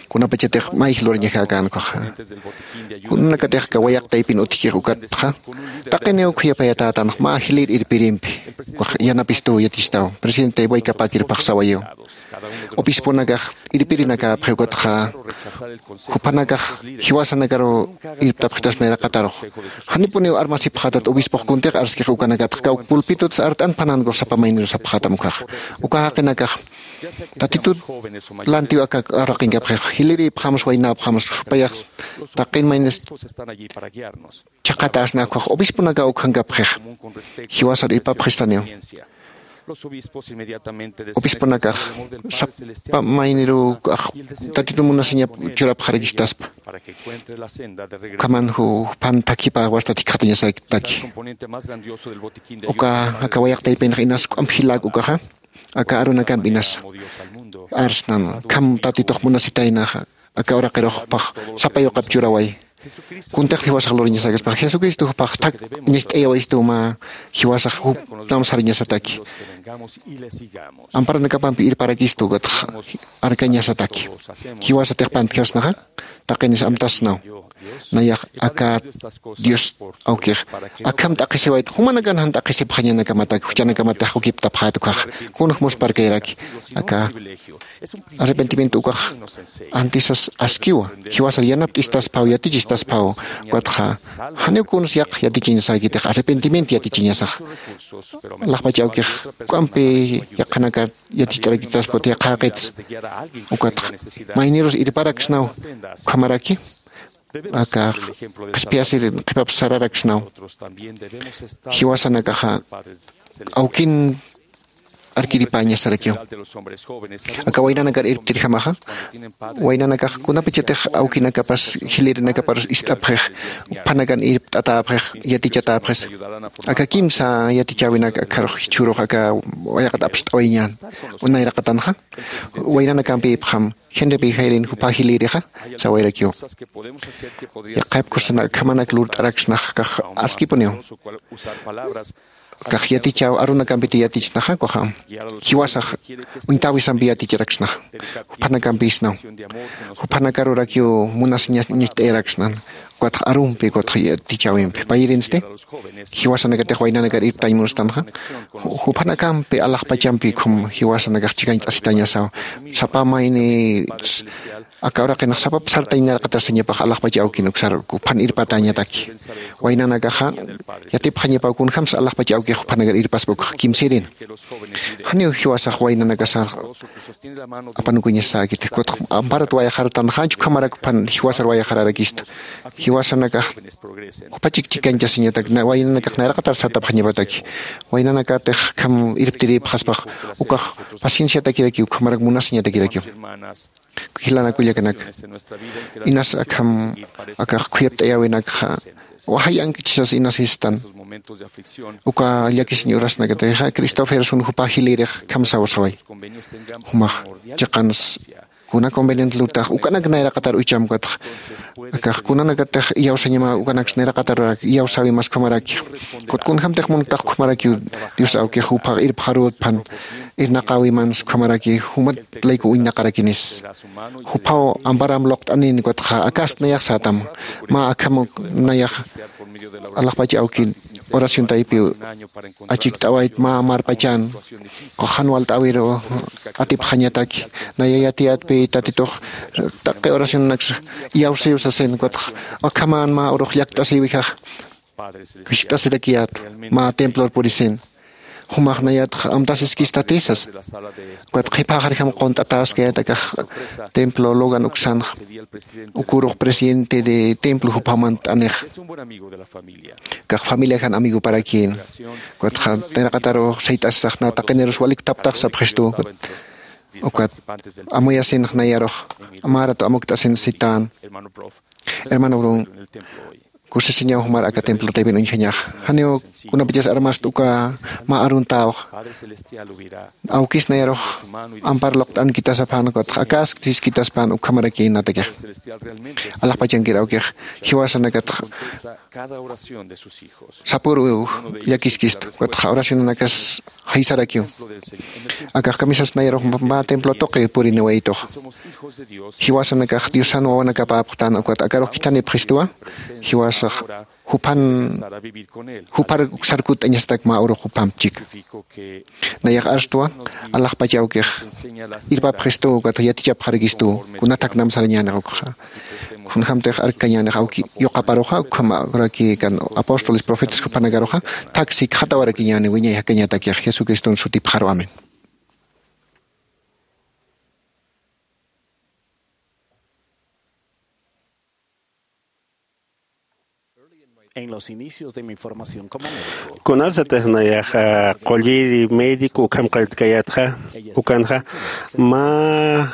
kunapachatix mayj lurañakäkän ukaxa. Kunanakatix kawayaq taypin utjkix ukatxa taqiniw khuyapayatatan mä jilir irpirimpi ukax yanapistuw yatistawan presidente waykapäkirpax sawayiw. Obispunakax irpirinakäpxi ukatxa juphanakax jiwasanakaruw irptapxitaspa nayraqatarux. Janipuniw armasipxätat obispux kuntix arskix ukanakatxa kawk pulpitutas art'an phanankax sapa mayniru sapxätam ukkhaxa. Uka jaqinakax tatitut lantiw aka arraqinkapxixa jilirïpxamas waynäpxamas supayax taqin maynis chhaqhatäsna ukkhax obispunakaw ukhankapxixa. Jiwasar irpapxistaniw. Obispunakax sapa maynirukax tatitun munasiñap churapxarakistaspa. Ukhaman juphan thakhipäwasta thikxatañasataki. Uka aka wayaq taypinx inas k'ump jilak ukaxa aka arunakampi inasa arsnan kham tatitux munasitaynaxa. Aka uraqirux jupax sapa yuqap churaway. Kuntix jiwasax luriñasakaspax jesucristo jupax thak ñacht'ayawayistuw mä jiwasax juptam sariñasataki. Amparanakapampi irparakistu ukatx arkañasataki. Jiwasatix pantjasnaxa taqinis amtasnaw. Nayax aka dios awkix akham t'aqhisiwayt jumanakan jan t'aqhisipxañanakamataki juchanakamatix ukiptapxät ukkhaxa. Kunjmusparkayraki aka arrepentimiento ukax antisas askiwa. Jiwasar yanapt'istasphaw yatichistasphaw. Ukatxa janiw kuns yaq yatichiñasäkitix arrepentimiento yatichiñasaxa. Alaxpach awkix k'ampi yaqhanakar yaticht'arakitaspat yaqhäqits. Ukatxa maynirus irparaksnaw ukhamaraki aka qhispiyasir qhipaps sararaksnaw. Jiwasanakaxa awkin arkiripäñasarakiw. Aka waynanakar irptirjamaxa waynanakax kunapachatix awkinakapas jilirinakaparus ist'apxix uphanakan irpt'atäpxix yatichatäpxis. Aka kimsa yatichäwinak akharux jichhürux aka wayaqat apst'awayañän nayraqatanxa waynanakampïpxam. Genrepï jayrin jupha jilïrixa sawayrakiw. Yaqhaypkusana akhamanak lurt'araksnax kax askipuniw. Kax yatichäw arunakampiti yatichsnaxa ukaxa jiwasax uñtäwisampi yaticharaksnaxa. Juphanakampïsnaw juphanakarurakiw munasiñas ñacht'ayaraksnan. Ukatx arumpi ukatx yatichäwimpi payirinsti jiwasanakatix waynanakar irptañ munustanxa. Juphanakampi alaxpachampi ukham jiwasanakax chikañt'asitañasaw. Sapa mayni aka uraqinax sapap sartañ nayraqatar sañapax alaxpach awkin uksar juphan irpatäñataki. Waynanakaxa yatipxañapaw kunjämsa alaxpach awkix juphanakar irpaspa ukxa kimsïrin. Janiw jiwasax waynanakasa apanukuñasäkiti ukatx amparat wayaxaratanxäch ukhamarak juphan jiwasar wayaxararakistu. Jiwasanakax jupa chikchikañchasiñatak waynanakax nayraqatar sartapxañapataki. Waynanakatix akham irptirïpxaspax ukax pacienciatakirakiw ukhamarak munasiñatakirakiw. Jilanakullakanaka inas akham akax khuyapt'ayäwinakxa waxay ankichisas inas sistan. Uka llakisiñ urasnakatixa cristoferson jupa jilïrix akham sawasaway. Jumax chiqans kuna conveniente lutax ukanak nayraqatar ucham ukatx akax kunanakatix iyawsañama ukanaks nayraqatar iyawsäwimas ukhamaraki. Kut kunjämtix muntax ukhamarakiw dios awkix juphax irpxarütpan irnaqäwimans ukhamaraki jumat layku uñnaqarakinis. Juphaw amparam luqt'anin ukatxa akast nayax sätam mä akham nayax alaxpach awki oración taypiw achikt'awayt mä marpachan jan walt'äwiru atipxañataki. Naya yatiyatpi tatitux taqi oracionanaksa iyawsiw sasin ukatxa akhaman mä urux llakt'asïwijax. Jiskt'asirakiyät mä templor purisin jumax nayatxa amtasiskistatï sasa. Ukat qhiphaxarjam qunt'atäskayät akax templo logan uksanxa ukürux presidente de templo juphaw mantt'anix. Akax familiajan amigoparakïn. Ukatxa nayraqatarux sayt'asisax nä taqinirus walik thaptax sapxistuw. Ukat amuyasinx nayarux mä ratu amukt'asin sitän. Hermano brun Kusisiñaw jumar aka templo taypin uñjañax. Janiw kunapachas armast uka mä aruntäwxa. Awkis nayarux ampar luqt'ankitasapxän, ukatx akasktiskitaspan ukhamaraki natakix. Alaxpachankir awkix jiwasanakatx sapüru llakiskistu, ukatx oracionanakas jaysarakiw. Akax kamisas nayarux mä templo tuqi puriniwaytux. Jiwasanakax Diosan wawanakapäpxtän, ukat akarux khithanipxistuwa. Jiwasax juphan, jupar uksar kutt'añasatak mä urux juphamp chika. Nayax arstwa, alaxpach awkix irpapxistuw, ukat yatichapxarakistuw, kunatak nam sarañänix ukxa. Kunjämtix arkkañänix awki yuqaparuxa, ukham uraki kan apóstoles, profetas juphanakaruxa, thak sikxatawarakiñäni wiñay jakañatakix Jesucriston sutipxaru. Amén. En los inicios de mi formación como médico, kunarsatix nayaxa qulliri médico ukham qalltkayätxa, ukanxa mä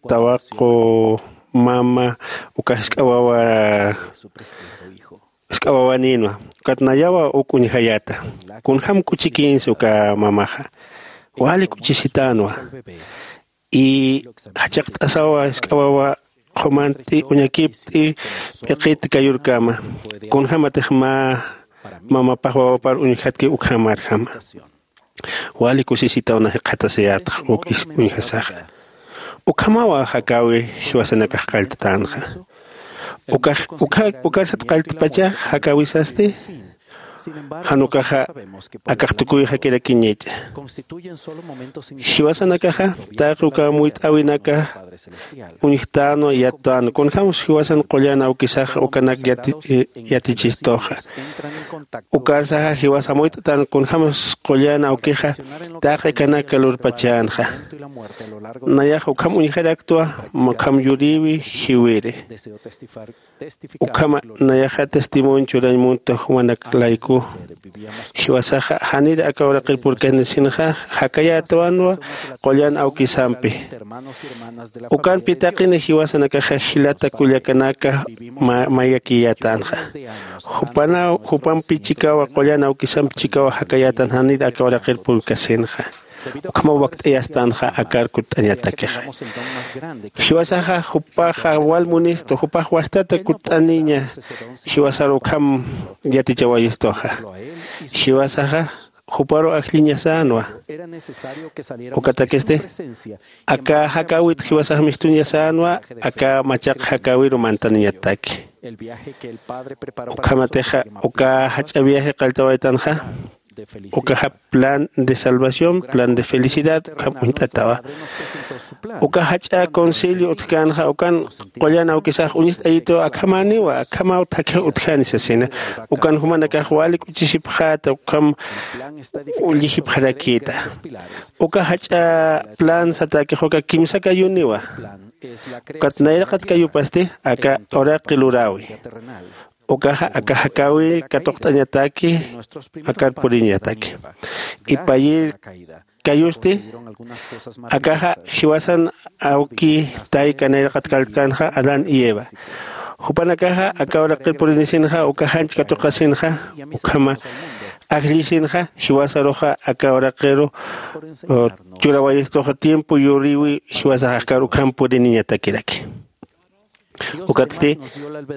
tawaqu mama uka jisk'a wawa, jisk'a wawanïnwa, ukat nayawa uk uñjayäta. Kunjam k'uchikinsi uka mamaxa, wali k'uchisitänwa. Y jachaqt'asawa jisk'a wawa qhumanti uñakipt'i p'iqit kayurkama. Kunjämatix mä mamapax wawapar uñjatki ukhamarjama. Wali kusisitaw na jikxatasiyätxa uk is uñjasaxa. Ukhamawa jakäwi jiwasanakax qallttänxa. Ukax, uka, ukarsat qalltpacha jakäwisasti, jan ukaxa akax tukuyxakirakiñacha. Jiwasanakaxa taqi uka muyt'äwinaka uñjtänwa, yattänwa. Kunjämsa jiwasan qullan awkisax ukanak yati, yatichistuxa. Ukarsaxa jiwasa muyt'tän kunjämsa qullan awkixa taqi kanak lurpachänxa. Nayax ukham uñjaraktwa, ukham yurïwi jiwiri. Ukhama nayaxa testimonio churañ muntux jumanak layku. Jiwasaxa janir aka uraqir purkanisinxa, jakayätwanwa qullan awkisampi. Ukanpi taqini jiwasanakaxa jilata kullakanaka ma, mayakiyätänxa. Jupanaw, jupampi chikawa, qullan awkisampi chikawa jakayätan janir aka uraqir purkasinxa. Ukhamaw wakt'ayastänxa akar kutt'añatakixa. Jiwasaxa jupaxa wal munistu, jupax wastata kutt'aniña, jiwasar ukham yatichawayistuxa. Jiwasaxa juparu ajlliñasänwa. Ukatakisti, aka jakäwit jiwasax mistuñasänwa, aka machaq jakäwiru mantaniñataki. Ukhamatixa, uka jach'a viaje qalltawaytanxa, ukaxa plan de salvación, plan de felicidad, ukham uñt'atawa. Uka jach'a concilio utjkänxa, ukan qullan awkisax uñist'ayituw, akhamäniwa, akhamaw thakix utjani sasina. Ukan jumanakax wali k'uchisipxäta, ukham ullixipxarakïta. Uka jach'a plan satäkix uka kimsa kayuniwa. Ukat nayraqat kayupasti aka uraqi luräwi. Ukaxa aka jakäwi katuqt'añataki, akar puriñataki. Ipayir kayusti, akaxa jiwasan awki tayka nayraqat kalltkänxa Adán y Eva. Jupanakaxa aka uraqir purinisinxa, uka janch katuqasinxa, ukhama ajllisinxa, jiwasaruxa aka uraqiru, o, churawayistuxa tiempo yurïwi jiwasax akar ukham puriniñatakiraki. Ukatsti,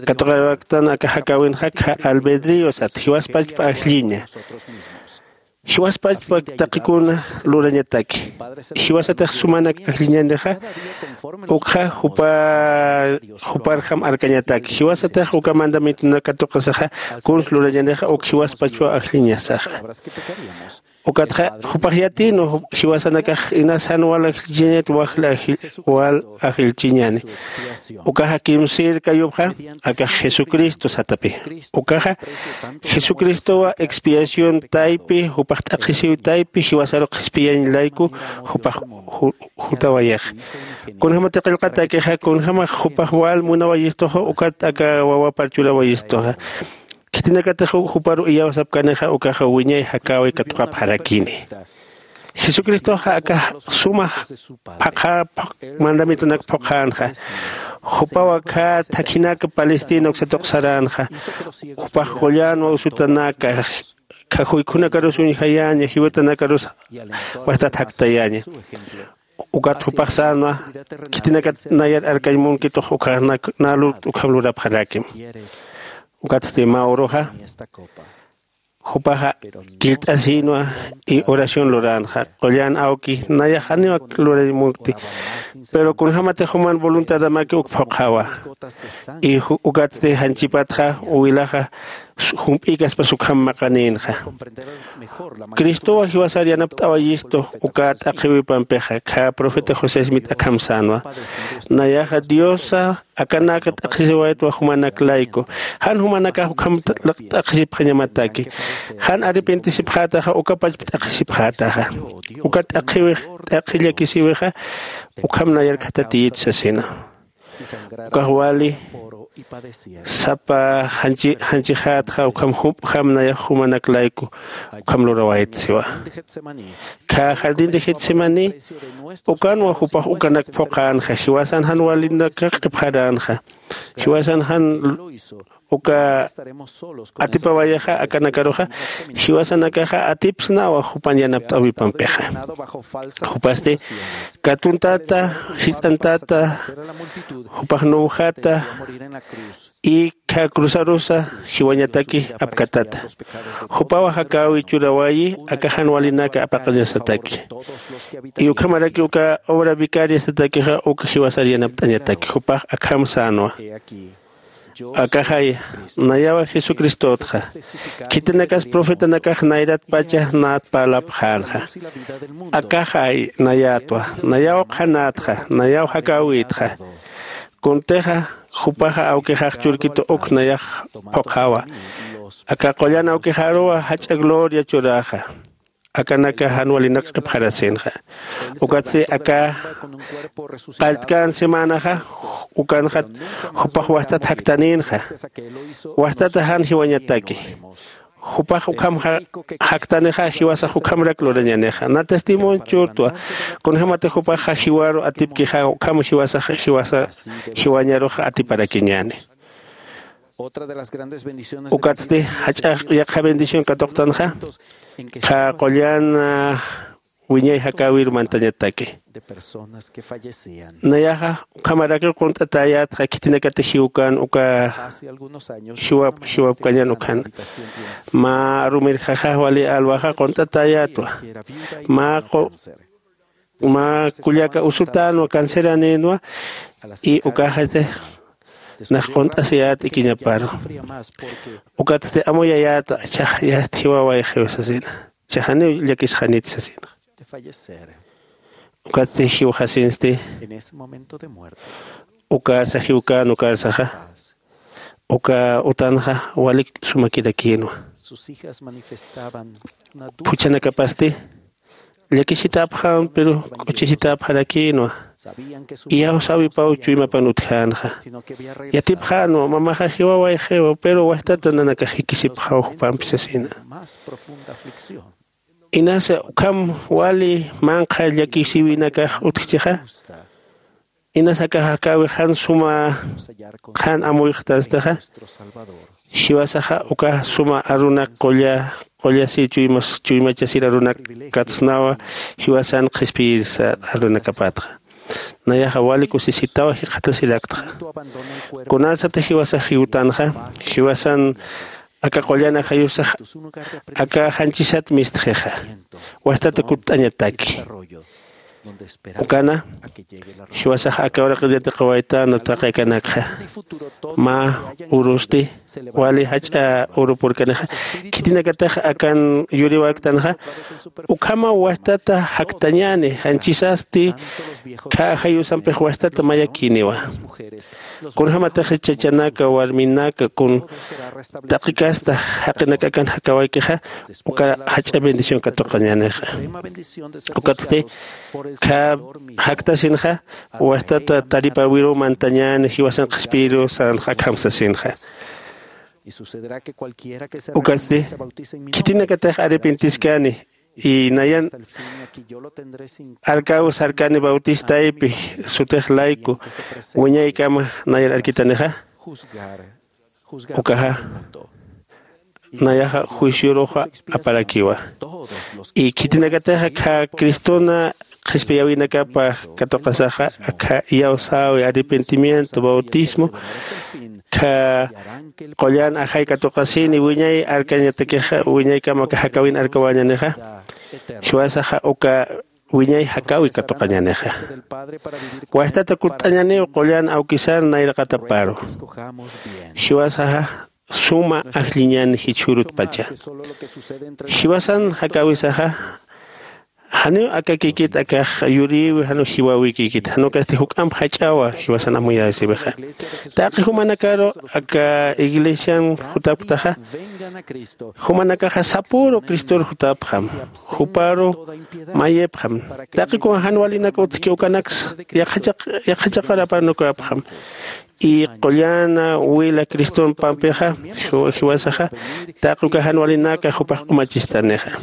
katuqaraktan aka jakäwinxa, kha albedrío sat, jiwaspachpa ajlliña. Jiwaspachpa taqikuna lurañataki. Jiwasatix sumanak ajlliñanixa, ukxa jupa, juparjam arkañataki. Jiwasatix uka mandamientonak katuqasaxa, kuns lurañanixa, uk jiwaspachpa ajlliñasaxa. Ukatxa, jupax yatïnwa, jiwasanakax inas jan wal ajllchiñat, wal ajllchiñani. Ukaxa kimsïr kayupxa, akax Jesucristo satapi. Ukaxa, Jesucristowa expiación taypi, jupax t'aqhisiw taypi, jiwasaru qhispiyañ layku, jupax ju, jutawayax. Kunjämati qillqatakixa, kunjämax jupax wal munawayistuxa, ukat aka wawapar churawayistuxa. Khitinakatix juparu iyawsapkanixa ukaxa wiñay jakäwi katuqapxarakini. Jesucristoxa aka suma phaqa, pha, mandamientonak phuqhänxa. Jupaw akha thakhinak Palestina uksa tuqsaränxa. Jupax qullanwa usutanaka, khajuykhunakarus uñjayaña, jiwatanakarus wastat jaktayaña. Ukat jupax sänwa, khitinakat nayar arkañ munkitux ukkhanak nä lurkt ukham lurapxarakim. Ukatsti mä uruxa jupaxa killt'asïnwa y oración luränxa. Qullan awki, nayax janiw ak lurañ munkti, pero kunjämatix juman voluntadamaki uk phuqhawa. Y ju- ukatsti janchipatxa uwilaxa jump'ïkaspas ukham maqanïnxa. Cristowa jiwasar yanapt'awayistu uka t'aqhiwipampixa. Kha profeta José Smith akham sänwa, nayaxa Diosa akanaka t'aqhisiwaytwa jumanak layku. Jan jumanakax ukham t'aqhisipxañamataki. Jan arrepentisipxätaxa uka pachpa t'aqhisipxätaxa. Uka t'aqhiwix, t'aqhi llakisïwixa ukham nayar khathatiyit sasina. Ukax wali sapa janchi janchixätxa ukham jump'jam nayax jumanak layku ukham lurawayt siwa. Kha jardín de Getsemaní ukanwa jupax ukanak phuqhänxa, jiwasan jan walinak q'ipxaränxa, jiwasan jan uka atipawayaxa akanakaruxa, jiwasanakaxa atipsnawa jupan yanapt'äwipampixa. Jupasti katuntata, jist'antata, jupax nuwjata, y kha cruzarusa jiwañataki apkatata. Jupawa jakäwi churawayi aka jan walinaka apaqañasataki. Y ukhamaraki uka obra vicaria satakixa uka jiwasar yanapt'añataki. Jupax akham sänwa, akaxay, nayawa Jesucristotxa. Khitinakas profetanakax nayratpacha nät parlapxänxa. Akaxay nayätwa, nayaw qhanätxa, nayaw jakäwïtxa. Kuntixa jupaxa awkixax churkitu uk nayax phuqhawa. Aka qullan awkixaruwa jach'a gloria churäxa. Akanaka jan walinak q'ipxarasïnxa. Ukatsti aka qalltkän semanaxa ukanxat jupax wastat jaktanïnxa. Wastata jan jiwañataki. Jupax ukham ja- jaktanixa, jiwasax ukhamarak lurañänixa. Na testimonio churtwa. Kunjämatix jupaxa jiwaru atipkixa ukham jiwasax jiwasa jiwañarux atiparakiñäni. Ukatsti jach'a yaqha bendición katuqtanxa, qha qullan wiñay jakäwiru mantañataki. Nayaxa ukhamarakiw qunt'atäyätxa khitinakatix jiwkän uka jiwap jiwapkañän ukhana. Mä rumirjaxa wali alwaxa qunt'atäyätwa. Mä qu- mä kullaka usutänwa, canceranïnwa. Y ukaxatix nax qunt'asiyät ikiñaparu. Ukatsti amuyayätwa, ichhax yast jiwawayxiw sasina. Ichhax janiw llakisxanit sasina. Ukatsti jiwxasinsti. Ukarsa jiwkän ukarsaxa, uka utanxa walik sumakirakïnwa. Phuchhanakapasti llakisitäpxam pero k'uchisitäpxarakïnwa. Iyawsäwipaw chuymapan utjänxa. Yatipxänwa, mamaxa jiwawayxiwa pero wastata nanakax jikisipxaw jupampi sasina. Inasa ukham wali manqha llakisïwinakax utjchixa. Inasa akax jakäwix jan suma qhan amuyxtanstixa. Jiwasaxa ukax suma arunak qulla qullasi chuymas chuymachasir arunak katsnawa. Jiwasan qhispiyirsa arunakapatxa. Nayaxa wali kusisitaw jikxatasiraktxa. Kunasata jiwasax jiwtanxa, jiwasan aka qullan ajayusax aka janchisat mistxixa. Wastata kutt'añataki. Ukana jiwasax aka uraqir yatiqawaytana taqi akanakxa. Mä urusti wali jach'a uru purkanixa, khitinakatix akan yuriwaktanxa. Ukhamaw wastata jaktañäni, janchisasti khä ajayusampix wastata mayakïniwa. Kunjämatix chachanaka warminaka kun taqi kasta jaqinak akan jakawaykixa, uka jach'a bendición katuqañänixa. Ukatsti khä jaktasinxa, wastata taripäwiruw mantañäni, jiwasan qhispiyiriw sänxa akham sasinxa. Ukatsti khitinakatix arrepentiskani Y nayan arkaw sarkani bautistaypi sutix layku wiñaykama nayar arkitanixa. Ukaxa nayaxa juicioruxa aparakiwa. Y khitinakatixa akha Cristona qhispiyäwinakapa katuqasaxa, akha iyawsäwi, arrepentimiento, bautismo, akha qullan ajay katuqasini wiñay arkañatakixa, wiñaykama aka jakäwin arkawañanixa, jiwasaxa uka wiñay jakäwi katuqañanixa. Wajtata kutt'añaniw qullan awkisan nayraqataparu. Jiwasaxa suma ajlliñan jichhürutpacha. Jiwasan jakäwisaxa janiw akakikit akax yurïwi, janiw jiwäwikikit, jan ukasti juk'amp jach'awa jiwasan amuyasiwixa. Taqi jumanakaru aka iglesian jutapktaxa, jumanakaxa sapüru Cristor jutapxam, juparu mayipxam. Taqi kun jan walinak utjki ukanaks yaqhachaq-, yaqhachaqar aparnukapxam. Y qullan wila Criston pampixa, jiw-, jiwasaxa, taqi uka jan walinaka jupax q'umachistanixa.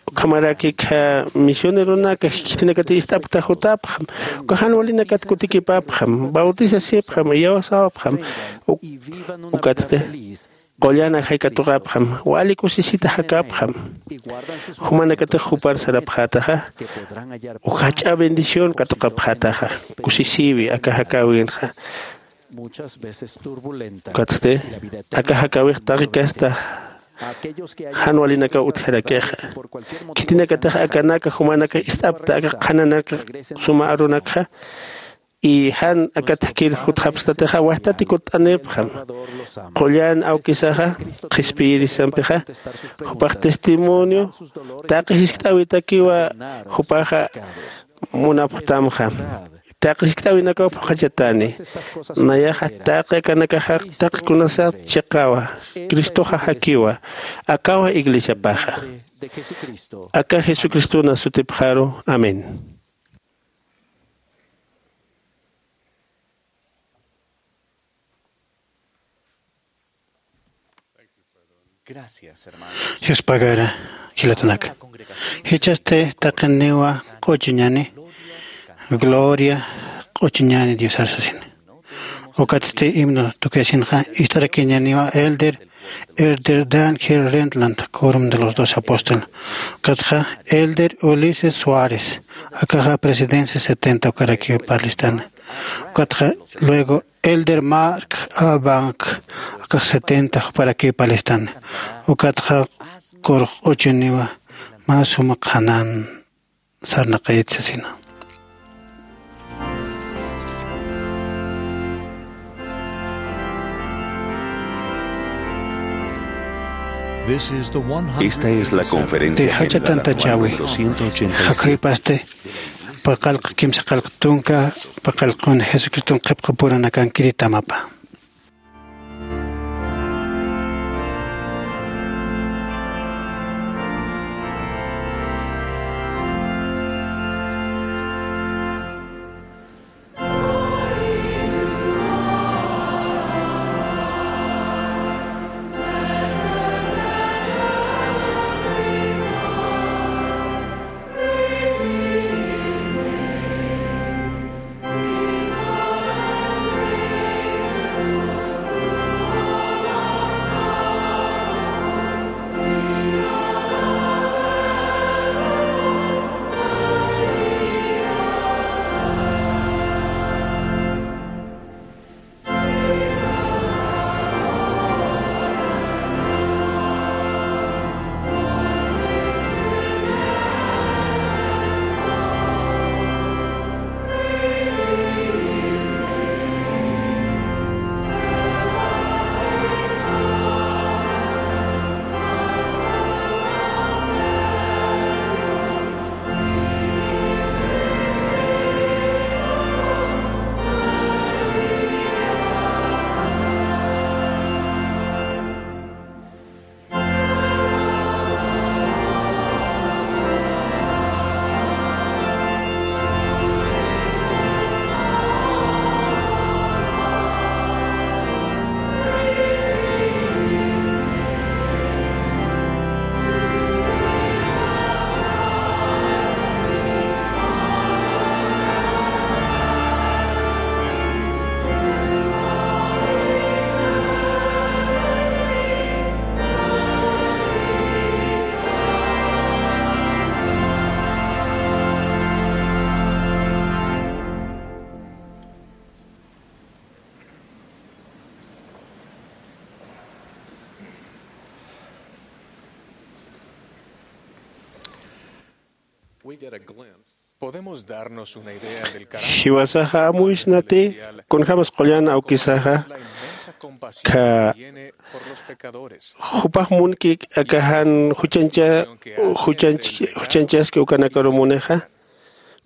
Ukhamaraki akha misioneronaka khitinakati ist'apkta jutapxam, uka jan walinakat kutikipapxam, bautisasipxam, iyawsäwapxam, uk-, ukatsti qullan ajay katuqapxam, wali kusisita jakapxam. Jumanakatix jupar sarapxätaxa, uka jach'a bendición katuqapxätaxa, kusisïwi aka jakäwinxa. Ukatsti aka jakäwix taqi kasta jan walinakaw utjarakixa. Khitinakatix akanaka jumanaka ist'apkta aka qhananak suma arunakxa, y jan aka thakir jutxapstatixa wajtati kutt'anipxam. Qullan awkisaxa qhispiyirisampixa, jupax testimonio taqi jiskt'äwitakiwa jupaxa munapxtamxa. Taqi jiskt'äwinakaw phuqhachatani. Nayaxa taqi akanakaxa taqi kunasat chiqawa, Cristoxa jakiwa, akawa iglesiapaxa. Aka Jesucristona sutipxaru. Amén. Dios pagara jilatanaka. Jichhasti taqiniwa q'uchuñani, gloria q'uchuñani Diosar sasina. Ukatsti himno tukuyasinxa ist'arakiñaniwa elder, elder Dan G. Rentland, quórum de los doce apóstoles. Ukatxa elder Ulises Suárez, akaxa presidencia setenta ukarakiw parlistani. Ukatxa luego elder Mark A. Bank, akax setenta juparakiw parlistani. Ukatxa kurux q'uchuniwa mä suma qhanan sarnaqayit sasina. Esta es la conferencia general anual número ciento ochenta y siete. Jakhuypasti paqallq kimsaqallq tunka paqallqun Jesucriston qhipqapuranakankiritama. Podemos darnos una idea del carácter jiwasaxa amuysnati, kunjämas qullan awkisaxa, kha jupax munki aka jan juchancha juchanch juchanchaski ukanakaru munixa.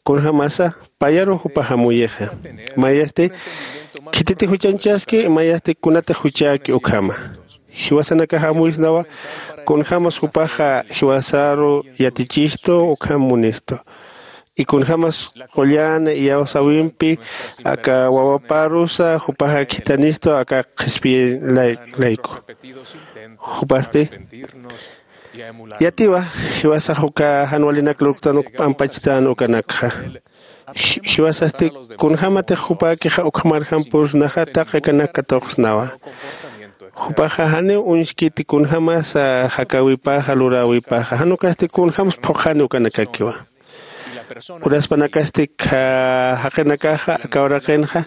Kunjämasa payaru jupax amuyixa. Mayasti khititi juchanchaski, mayasti kunatix juchäki ukhama. Jiwasanakax amuysnawa, kunjämas jupaxa jiwasaru yatichistu ukham munistu. Y kunjämas qullan iyawsäwimpi aka wawaparusa jupaxa khithanistu aka qhispiy lay- layku. Jupasti yatiwa, jiwasax uka jan walinak lurktan uk p'ampachtan ukanakxa. Ji- jiwasasti kunjämatix jupäkixa ukhamarjampusnaxa taqi akanak katuqsnawa. Jupaxa janiw uñskiti kunjämasa jakäwipaxa luräwipaxa, jan ukasti kunjämsa phuqhani ukanakakiwa. Uraspanakasti kha jaqinakaxa aka uraqinxa,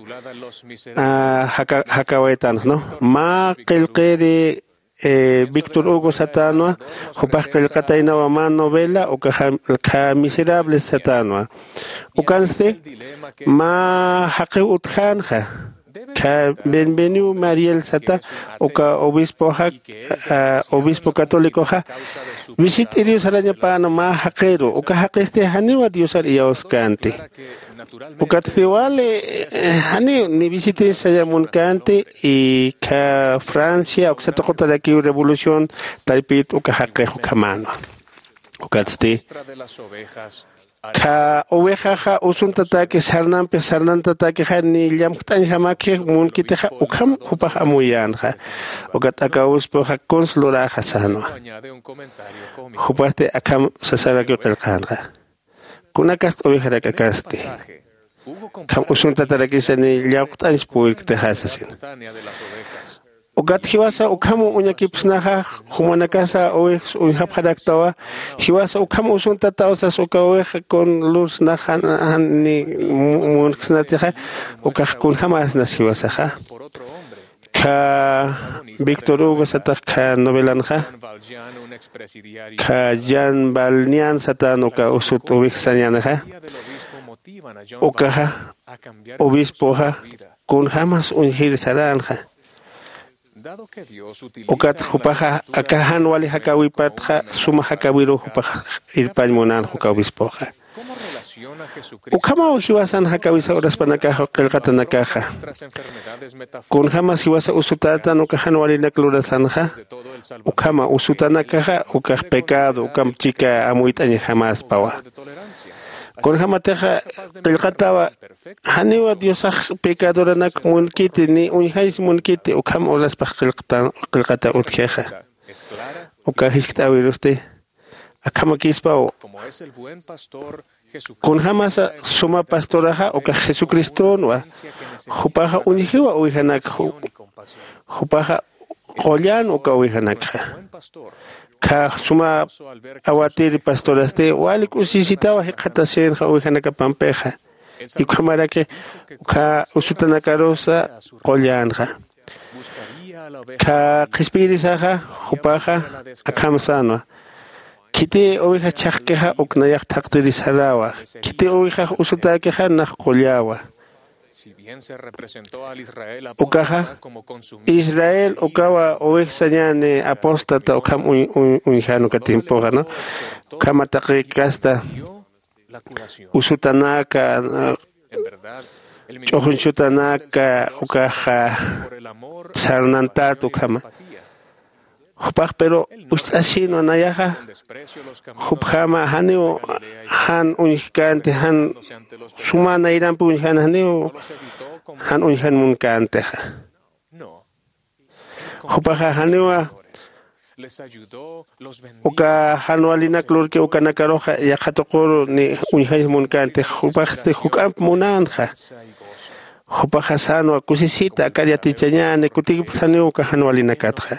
a, jaka- jakäwaytanxa, ¿no? Mä qillqiri eh, Víctor Hugo satänwa, jupax qillqataynawa mä novela ukaxa, kha Miserables satänwa. Ukansti mä jaqiw utjänxa, kha Bienvenido Mariel sata, uka obispoxa, ah, obispo católicoxa, visit'iriw sarañapäna mä jaqiru, uka jaqisti janiwa Diosar iyawskänti. Ukatsti wali, eh, janiw ni visitins saya munkänti, y kha Francia uksa tuqutarakiw revolución taypit uka jaqix ukhamänwa. Ukatsti kha ovexaxa usuntataki sarnampi sarnantataki, jan ni llamjt'añjamäki munkitixa, ukham jupax amuyänxa. Ukat aka obispoxa kuns luräxa sänwa. Jupasti akham sasarakiw qillqänxa. Kunakast ovejarak'akasti. Kham usuntatarakisa ni llawqt'añs puwirktixa sasin. Ukat jiwasa ukham uñakipsnaxa, jumanakasa ovejas uñjapxaraktawa, jiwasa ukham usuntataw sas uka oveja kun lursnaxa, jan ni mu- munksnatixa, ukax kunjämäsnas jiwasaxa. Kha Víctor Hugo satax kha novelanxa, kha Jean Valjean satän uka usut oveja sañänixa, ukaxa obispoxa kunjämas uñjir saränxa. Ukat jupaxa aka jan wali jakäwipatxa suma jakäwiruw jupax irpañ munänxa uka obispoxa. Ukhamaw jiwasan jakäwisa uraspanakaxa qillqatanakaxa. Kunjämas jiwasa usutätan uka jan walinak lurasanxa, ukhama usutanakaxa ukax pecado, ukham chika amuyt'añjamäspawa. Kunjämatixa qillqatawa, janiwa Diosax pecadoranak munkiti ni uñjañs munkiti, ukham uraspax qillqata qillqata utjixa. Uka jiskt'äwirusti akhamakispaw. Kunjämasa suma pastoraxa ukax Jesucristonwa, jupaxa uñjiwa ovejanak, ju- jupaxa qullan uka ovejanakxa. Kha suma awatiri pastorasti wali k'usisitawa jikxatasinxa ovejanakapampixa. Ukhamaraki uka usutanakarusa qullänxa. Kha qhispiyirisaxa jupaxa akham sänwa. Khiti oveja chhaqkixa uk nayax thaqtiri sarawa. Khiti ovejax usutäkixa nax qulläwa. Ukaxa Israel ukawa oveja sañäni apóstata ukham uñ- uñ- uñjän uka tiempoxa, ¿no? Ukhama taqi kasta usutanaka, ch'uxuñchutanaka ukaxa sarnantät ukhama. Jupax pero ust'asinwa nayaxa, jupjama janiw jan uñjkänti, jan suma nayrampi uñjän, janiw jan uñjän munkäntixa. Jupaxa janiwa uka jan walinak lurki ukanakaruxa yaqha tuquru ni uñjañs munkänti, jupaxsti juk'amp munänxa. Jupaxa sänwa kusisita akar yatichañäni kutikipxsaniw uka jan walinakatxa.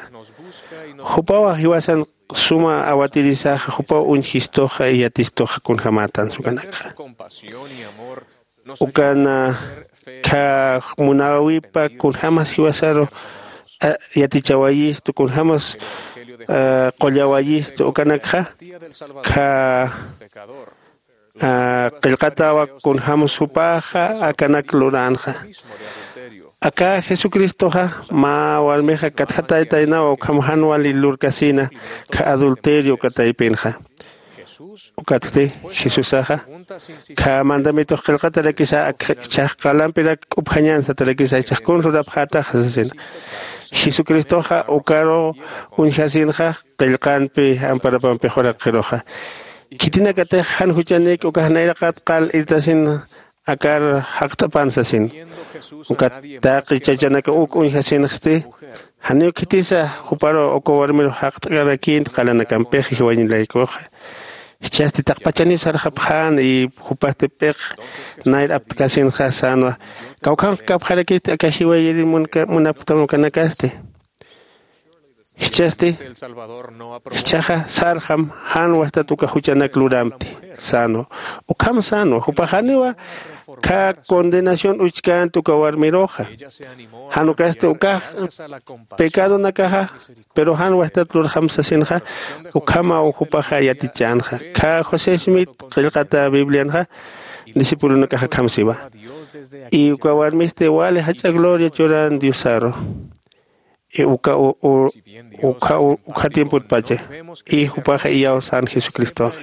Jupawa jiwasan suma awatirisaxa, jupaw uñjistuxa yatistuxa kunjämätan sukanakxa. Ukan kha munäwipa kunjämas jiwasaru yatichawayistu, kunjämas qullawayistu ukanakxa, kha Qillqatawa kunjämsa jupaxa akanak luränxa. Aka jesucristoxa mä warmixa katjataytaynawa ukham jan wali lurkasina khä adulterio uka taypinxa. Ukatsti jesusaxa khä mandamitux qillqatarakisa akchhax qalampirak k'upjañan satarakisa ichhax kun lurapxätaxa sasina. Jesucristoxa ukaru uñjasinxa qillqanpi amparapampi juraqiruxa. Khitinakatix jan juchanïki ukax nayraqat qal irtasin akar jaqt'apan sasin. Ukat taqi chachanaka uk uñjasinxsti janiw khitisa juparu uka warmiru jaqt'karakïnti qalanakampix jiwañilaykuxa. Jichhasti taqpachaniw sarxapxän y jupasti p'iq nayr aptkasinxa sänwa. Kawkhanx kapxarakisti aka jiwayiri munapktam ukanakasti. Jichhasti jichhaxa sarxam jan wastat uka juchanak luramti sänwa. Ukham sänwa jupax janiwa khä condenación uchkänti uka warmiruxa. Jan ukasti ukax pecadonakaxa pero jan wastat lurxam sasinxa. Ukhamaw jupaxa yatichänxa khä josé smith qillqata biblianxa discipulonakax akham siwa. Y uka warmisti wali jach'a gloria churan diosaru. Uka ukha tiempotpacha. Y jupaxa iyawsan jesucristoxa.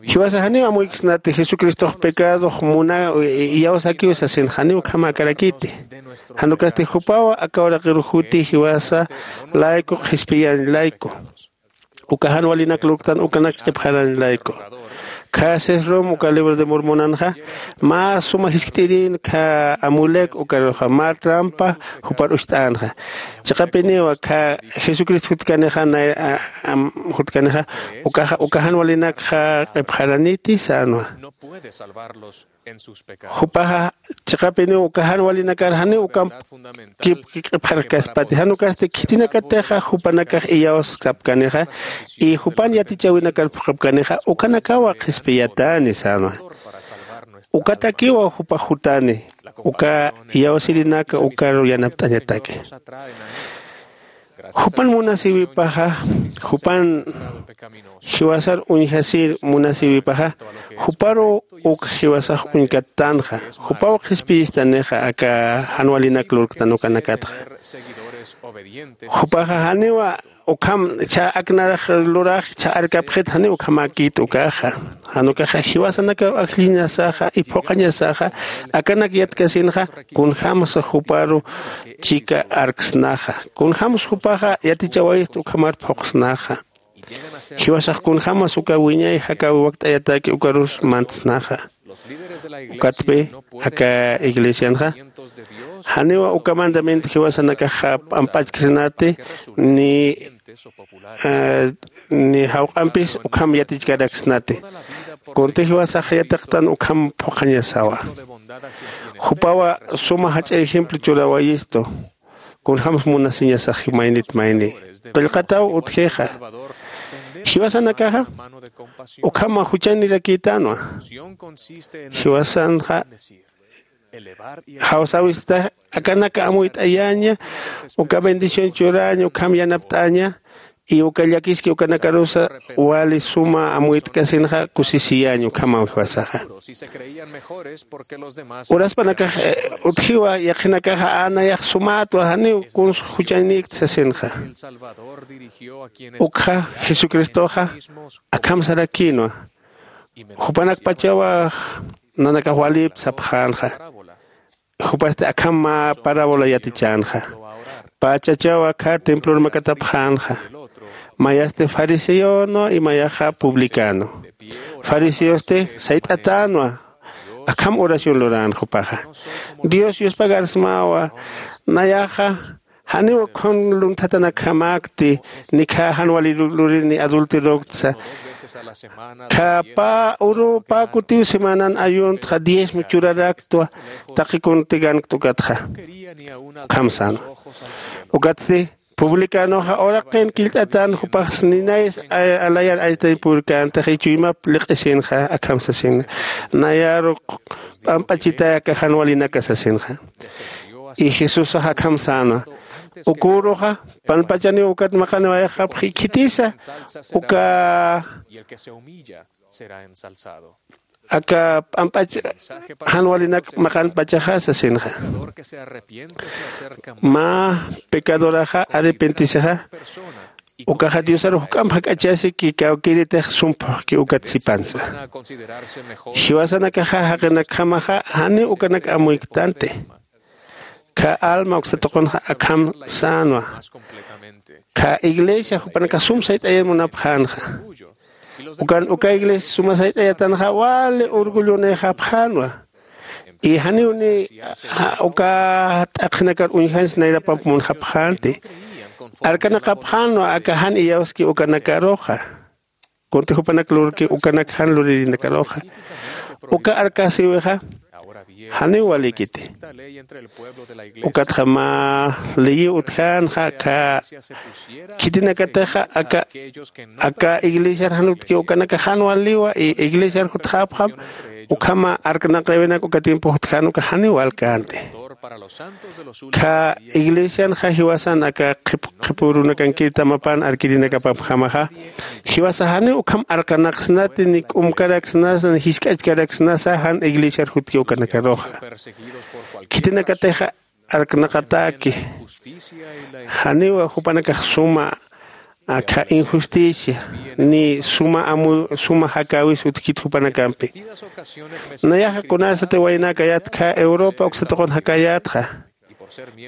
Jiwasa janiw amuyksnati jesucristox pecadox muna iyawsakiw sasin janiw ukhamäkarakiti. Jan ukasti jupaw aka uraqiru juti jiwasa layku qhispiyañ layku uka jan walinak lurktan ukanak q'ipxarañ layku. Khä sesrom uka libro de mormonanxa mä suma jiskt'irin khä amulek ukaruxa mä trampa jupar ucht'änxa. Chiqapiniwa khä jesucristo jutkanixa nay jutkanixa ukaxa uka jan walinakxa q'ipxaraniti sänwa. Jupaxa chiqapiniw uka jan walinakar janiw ukamp kipki q'ipxarkaspati jan ukasti khitinakatixa jupanakax iyawskapkanixa y jupan yatichäwinakar phuqhapkanixa ukanakawa qhispiyatäni sänwa. Ukatakiwa jupax jutani uka iyawsirinaka ukaru yanapt'añataki. Jupan munasïwipaxa jupan jiwasar uñjasir munasïwipaxa juparu uk jiwasax uñkattänxa. Jupaw qhispiyistanixa aka jan walinak lurktan ukanakatxa. Jupaxa janiwa ukham chha aknarax lurax chha arkapxit janiw ukhamäkit ukaxa. Jan ukaxa jiwasanakaw ajlliñasaxa y phuqhañasaxa akanak yatkasinxa kunjämsa juparu chika arksnaxa kunjämsa jupaxa yatichawayist ukhamar phuqsnaxa. Jiwasax kunjämas uka wiñay jakäwi wakt'ayataki ukarus mantsnaxa. Ukatpi aka iglesianxa janiwa uka mandamiento jiwasanakaxa p'amp'achksnati ni ni jawq'ampis ukham yatichkaraksnati. Kunti jiwasax yatiqtan ukham phuqhañasawa. Jupawa suma jach'a ejemplo churawayistu. Kunjämsa munasiñasax maynit mayni qillqataw utjixa. Jiwasanakaxa ukhama juchanirakïtänwa. Jiwasanxa jawsäwista akanaka amuyt'ayaña uka bendición churäña ukham yanapt'aña y uka llakiski ukanakarusa wali suma amuyt'kasinxa kusisiyäña ukhamaw jiwasaxa. Uraspanakax utjiwa yaqhinakaxa anayax sumätwa janiw kuns juchañnïkt sasinxa. Ukxa jesucristoxa akham sarakïnwa. Jupanakpachawa nanakax walïp sapxänxa. Jupasti akham mä parábola yatichänxa. Pachachaw akhä templor makatapxänxa. Mayasti fariseonwa y mayaxa publicano. Fariseosti sayt'atänwa. Akham oración lurän jupaxa dios yuspagarsmawa. Nayaxa janiw khun lunthatanakjamäkti ni khä jan wali lurini adulteroktsa. Khä pä uru pä kutiw semanan ayuntxa diezmo churaraktwa. Taqi kuntigankt ukatxa ukham sänwa. Ukatsti publicanoxa uraqin killt'atän jupax ninayas alayar aytay purkäntax y chuymap liq'isinxa akham sasin. Nayaru p'amp'achitay aka jan walinaka sasinxa. Y jesusax akham sänwa. Uküruxa panpachaniw ukat maqaniwayaxapxi khitisa uka aka p'amp'ach jan walinak maqanpachaxa sasinxa. Mä pecadoraxa arrepentisixa ukaxa diosar juk'amp jak'achasi ki kawkïritix sumphuxki ukat sipansa. Jiwasanakaxa jaqinakjamaxa janiw ukanak amuyktanti. Khä alma uksa tuqunxa akham sänwa. Khä iglesia jupanakax sum sayt'ayan munapxänxa. Ukan uka iglesia suma sayt'ayatanxa wali orgullonïxapxänwa. Y janiw ni uka t'aqhinakar uñjansi nayrapamp munxapxänti. Arkanaqapxänwa aka jan iyawski ukanakaruxa. Kunti jupanak lurki ukanak jan luririnakaruxa uka arkasïwixa. Janiw walïkiti. Ukatxa mä leyiw utjänxa aka khitinakatixa aka aka iglesiar jan utki ukanaka jan waliwa y iglesiar jutxäpxam. Ukhama arkanaqäwinak uka tiempo jutjän uka janiw walkänti. Khä iglesianxa jiwasan aka qhipürunakankir tamapan arkirinakapapjamaxa jiwasa janiw ukham arkanaqsnati ni k'umkaraksnasa ni jisk'achkaraksnasa jan iglesiar jutki ukanakaruxa. Khitinakatixa arkanaqatäki. Janiw jupanakax suma akha injusticia ni suma amu suma jakäwis utjkit jupanakampi. Nayaxa kunasati waynäkayät khä europa uksa tuqun jakäyätxa.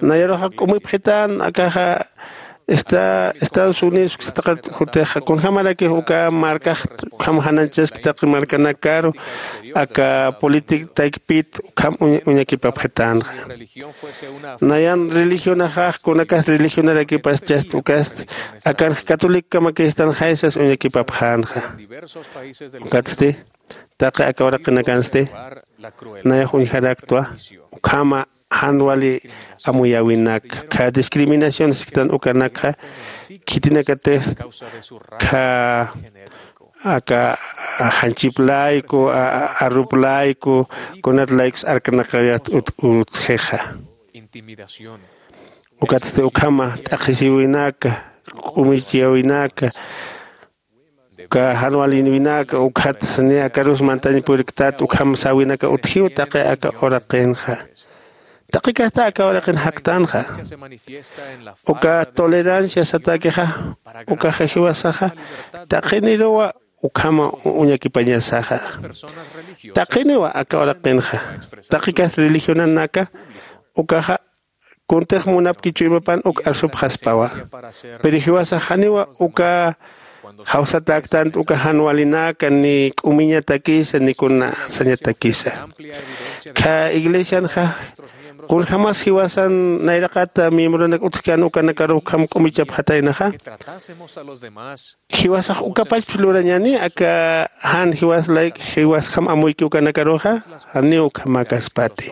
Nayaruxa k'umipxitän akaxa esta estados unidos uksa taqat jutixa kunjämarakix uka markax ukham jananchaski taqi markanakaru aka política taykpit ukham uñakipapxitänxa. Nayan religionaxax kunakas religionarakipaschast ukast akanx catolicokamakïstanxaysas uñakipapxänxa. Ukatsti taqi aka uraqinakansti nayax uñjaraktwa ukhama jan wali amuyäwinak khä discriminación sisktan ukanakxa khitinakatix khä aka janchip layku arrup layku kunat laykus arkanaqayat utjixa. Ukatsti ukhama t'aqhisïwinaka k'umichiyäwinaka uka jan walinwinaka ukhat niy akarus mantañ puriktat ukham säwinaka utjiw taqi aka uraqinxa. Taqi kasta aka uraqin jaktanxa. Uka tolerancia satäkixa ukaxa jiwasaxa taqiniruwa ukhama uñakipañasaxa. Taqiniwa aka uraqinxa taqi kasta religionanaka ukaxa kuntix munapki chuymapan uk arsupxaspawa. Pero jiwasax janiwa uka jawsatäktanti uka jan walinaka ni k'umiñatakisa ni kuna sañatakisa. Khä iglesianxa kunjämas jiwasan nayraqata miembronak utjkän ukanakaruw ukham k'umichapxataynaxa. Jiwasax ukapachpis lurañäni aka jan jiwas layk jiwasjam amuyki ukanakaruxa. Janiw ukhamäkaspati.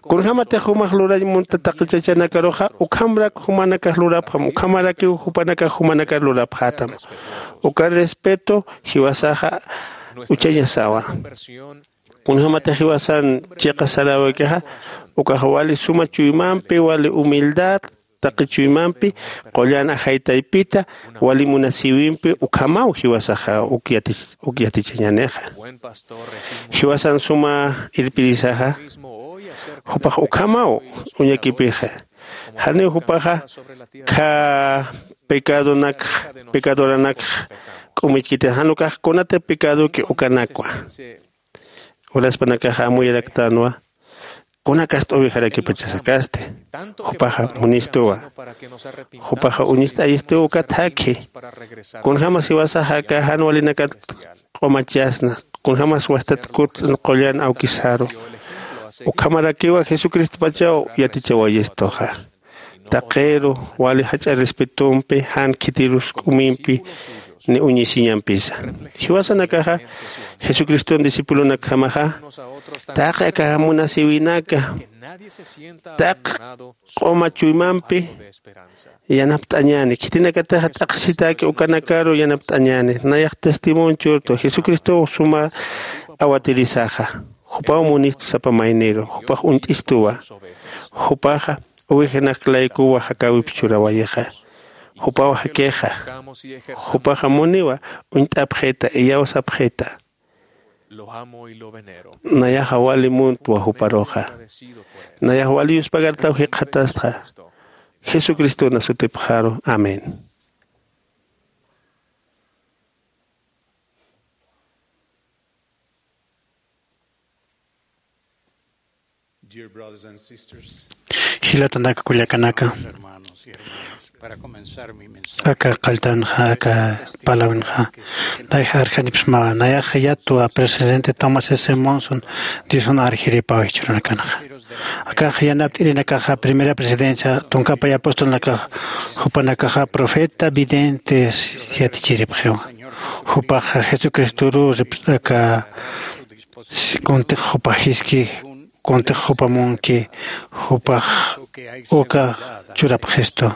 Kunjämatix jumax lurañ munta taqi chachanakaruxa ukhamrak jumanakax lurapxam ukhamarakiw jupanakax jumanakar lurapxätam. Uka respeto jiwasaxa uchañasawa. Kunjämatix jiwasan chiqa saräwikixa ukax wali suma chuymampi wali humildad taqi chuymampi qullan ajaytaypita wali munasïwimpi ukhamaw jiwasaxa uk yatichañänixa. Jiwasan suma irpirisaxa jupax ukhamaw uñakipixa. Janiw jupaxa khä pecadonakxa pecadoranakxa k'umichkiti jan ukax kunati pecadoki ukanakwa. Uraspanakaxa amuyaraktänwa kunakasti ovejarakipachasakasti. Jupaxa munistuwa. Jupaxa uñist'ayistuw ukat jakhi. Kunjämas jiwasaxa aka jan walinakat q'umachasna kunjämas wastat kut qullan awkisaru ukhamarakiwa jesucristopachaw yatichawayistuxa. Taqiru wali jach'a respetompi jan khitirus k'umimpi ni uñisiñampisa. Jiwasanakaxa jesucriston discipulonakjamaxa taqi aka munasïwinaka taq q'uma chuymampi yanapt'añäni khitinakatixa t'aqhisitäki ukanakaru yanapt'añäni. Nayax testimonio churtu jesucristow suma awatirisaxa. Jupaw munistu sapa mayniru jupax uñt'istuwa. Jupaxa uwijanak laykuwa jakäwip churawayixa. Jupaw jakixa. Jupaxa muniwa uñt'apxita iyawsapxita. Nayaxa wali muntwa juparuxa. Nayax wali yuspagartaw jikxatastxa. Jesucristona sutipxaru. Amén. Jilatanaka kullakanaka, aka qalltanxa aka palawinxa nayxa arjanipsmawa. Nayaxa yatwa presidente Thomas S Monson diosan arjiripaw jichhurunakanaxa. Akax yanapt'irinakaxa primera presidencia tunkapay apostolnakax jupanakaxa profeta videntes yatichiripxiwa. Jupaxa jesucristoru ripsaka kuntix jupax jiski kuntix jupa munki jupax uka churapxistu.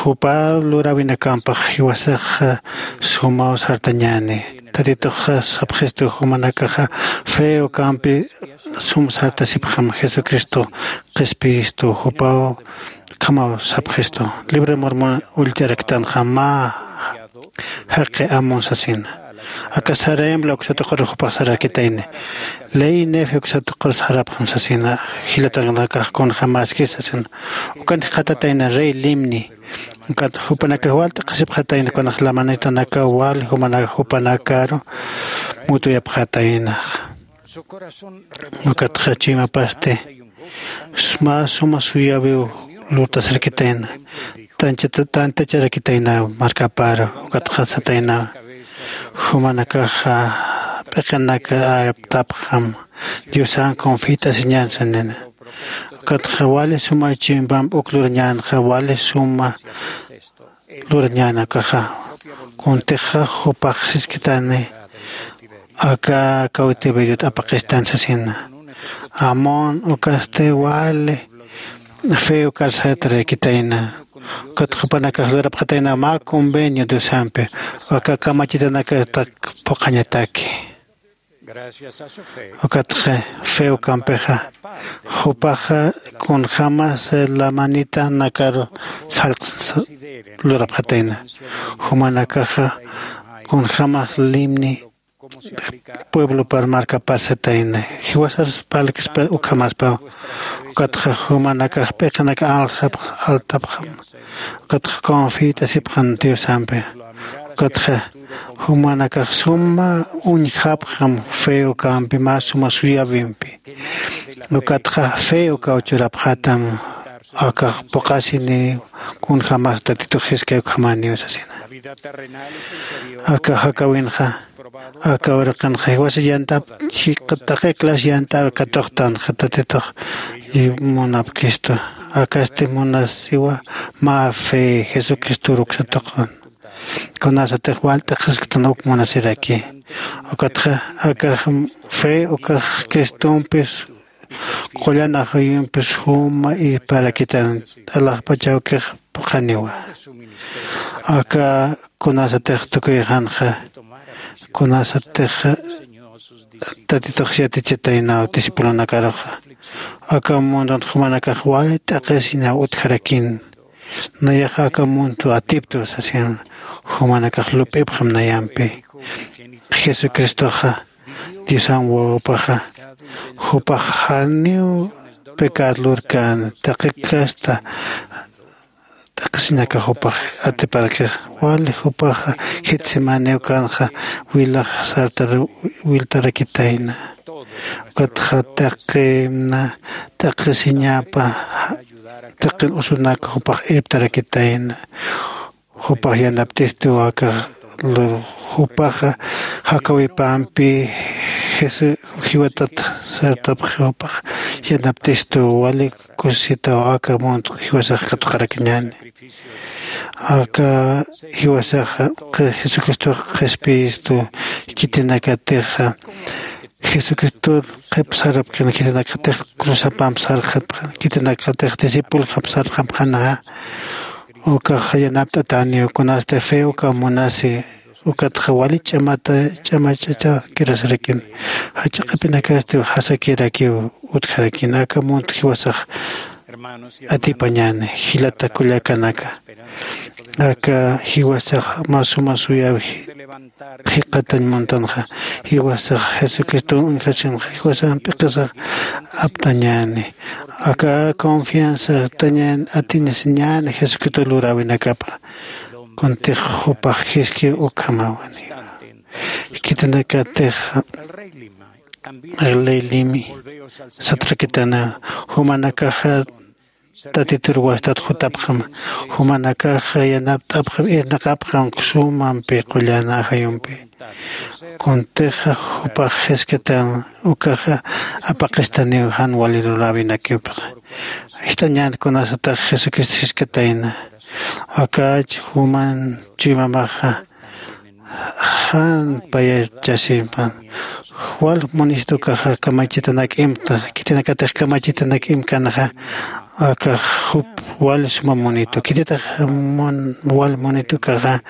Jupa luräwinakampax jiwasax sumaw sartañäni. Tatitux sapxistu jumanakaxa fe ukampi sum sartasipxam jesucristo qhispiyistu jupaw ukhamaw sapxistu. Libro de mormon ullt'araktanxa mä jaqi amun sasina. Aka sarayambla uksatuqur jupax sararakitayni. Ley nefe uksatuqur sarapxam sasina. Jilatanakax kunjamaski sasina. Ukan jikxatatayna rey limni. Ukat jupanakax wal t'aqhisipxatayna kunax lamanitanaka wal jumanaka jupanakaru mutuyapxataynax. Ukatxa chuymapasti mä suma suyäwiw lurtasarkitayna. Tantacharakitayna markaparu ukatxa satayna jumanakaxa p'iqinaka aptapxam diosan confit'asiñan sanina. Ukatxa wali suma chuymamp uk lurañänxa wali suma lurañänakaxa kuntixa jupax siskitani aka kawtibirut apaqistan sasina. Amon ukasti wali fe ukar sartarakitayna. Ukatxa jupanakax lurapxatayna mä convenio diosampi aka kamachitanakatak phuqhañataki. Ukatxa fe ukampixa jupaxa kunjämas lamanitanakaru sallqs lurapxatayna. Jumanakaxa kunjämas limni pueblopar markapar satayna. Jiwasar parlkispa ukhamaspaw. Ukatxa jumanakax p'iqinaka alxapx altapxam. Ukatxa confit'asipxan diosampi. Ukatxa jumanakax suma uñjapxam fe ukampi mä suma suyäwimpi. Ukatxa fe ukaw churapxatam akax phuqhasiniw kunjämas tatitux jiskay ukhamäniw sasina. Aka jakäwinxa aka uraqinxa jiwasa yantap taqi clase yant'äwi katuqtanxa tatitux munapkistu. Akasti munasiwa mä fe jesucristoru uksatuqun. Kunasatix wal t'aqhisktan uk munasiraki. Ukatxa akax fe ukax cristompis qullan ajayumpis juma irparakitan alaxpachawkix phuqhaniwa. Aka kunasatix tukuyxanxa kunasatix tatitux yatichataynaw discipulonakaruxa aka mundun jumanakax wali t'aqhisiñaw utjarakin. Nayaxa aka mundo atiptu sasin jumanakax lup'ipxam nayampi. Jesucristoxa diosan wawapaxa jupax janiw pecad lurkän taqi casta t'aqhisiñaka jupax atiparkix wali jupaxa getsemaniw kanxa wilax sartar wiltarakitayna. Ukatxa taqina t'aqhisiñapa taqin usunak jupax irptarakitayna. Jupax yanapt'istu aka lur jupaxa jakawipampi jiwatat sartapxi jupax yanapt'istu wali kusisitaw aka mundo jiwasax katuqarakiñäni. Aka jiwasaxa jesucristox qhispiyistu khitinakatixa jesucristor qhip sarapxkana khitinakatix cruzapamp sarxapxana khitinakatix discipuljamp sarxapxana. Ukax yanapt'atäniw kunasti fe uka munasi ukatxa wali ch'amata ch'amach'achakirasarakin jach'a q'ipinakasti jasakirakiw utjarakin aka mundo jiwasax atipañäni. Jilata kullakanaka, aka jiwasax mä suma suyaw jikxatañ muntanxa, jiwasax jesucristo uñjasinxa jiwasax p'iqisax aptañäni. Aka confianza tañäni atinisiñäni jesucristo luräwinakapxa. Kuntix jupax jiski ukhamäwani. Khitinakatix ley limi satrakitana, jumanakaxa tatitur wastat jutapxam, jumanakaxa yanapt'apxam irnaqapxam sumampi qullan ajayumpi. Kuntixa jupax jiskatan ukaxa apaqistaniw jan wali luräwinakipxa. Jist'añän kunasatax jesucristo jiskatayna, akach juman chuymamaxa jan payar chasimpan. Wal munitukaxa kamachitanak imta, khitinakatix kamachitanak imkanxa akax jup wal suma munitu. Khititax wal munitukaxa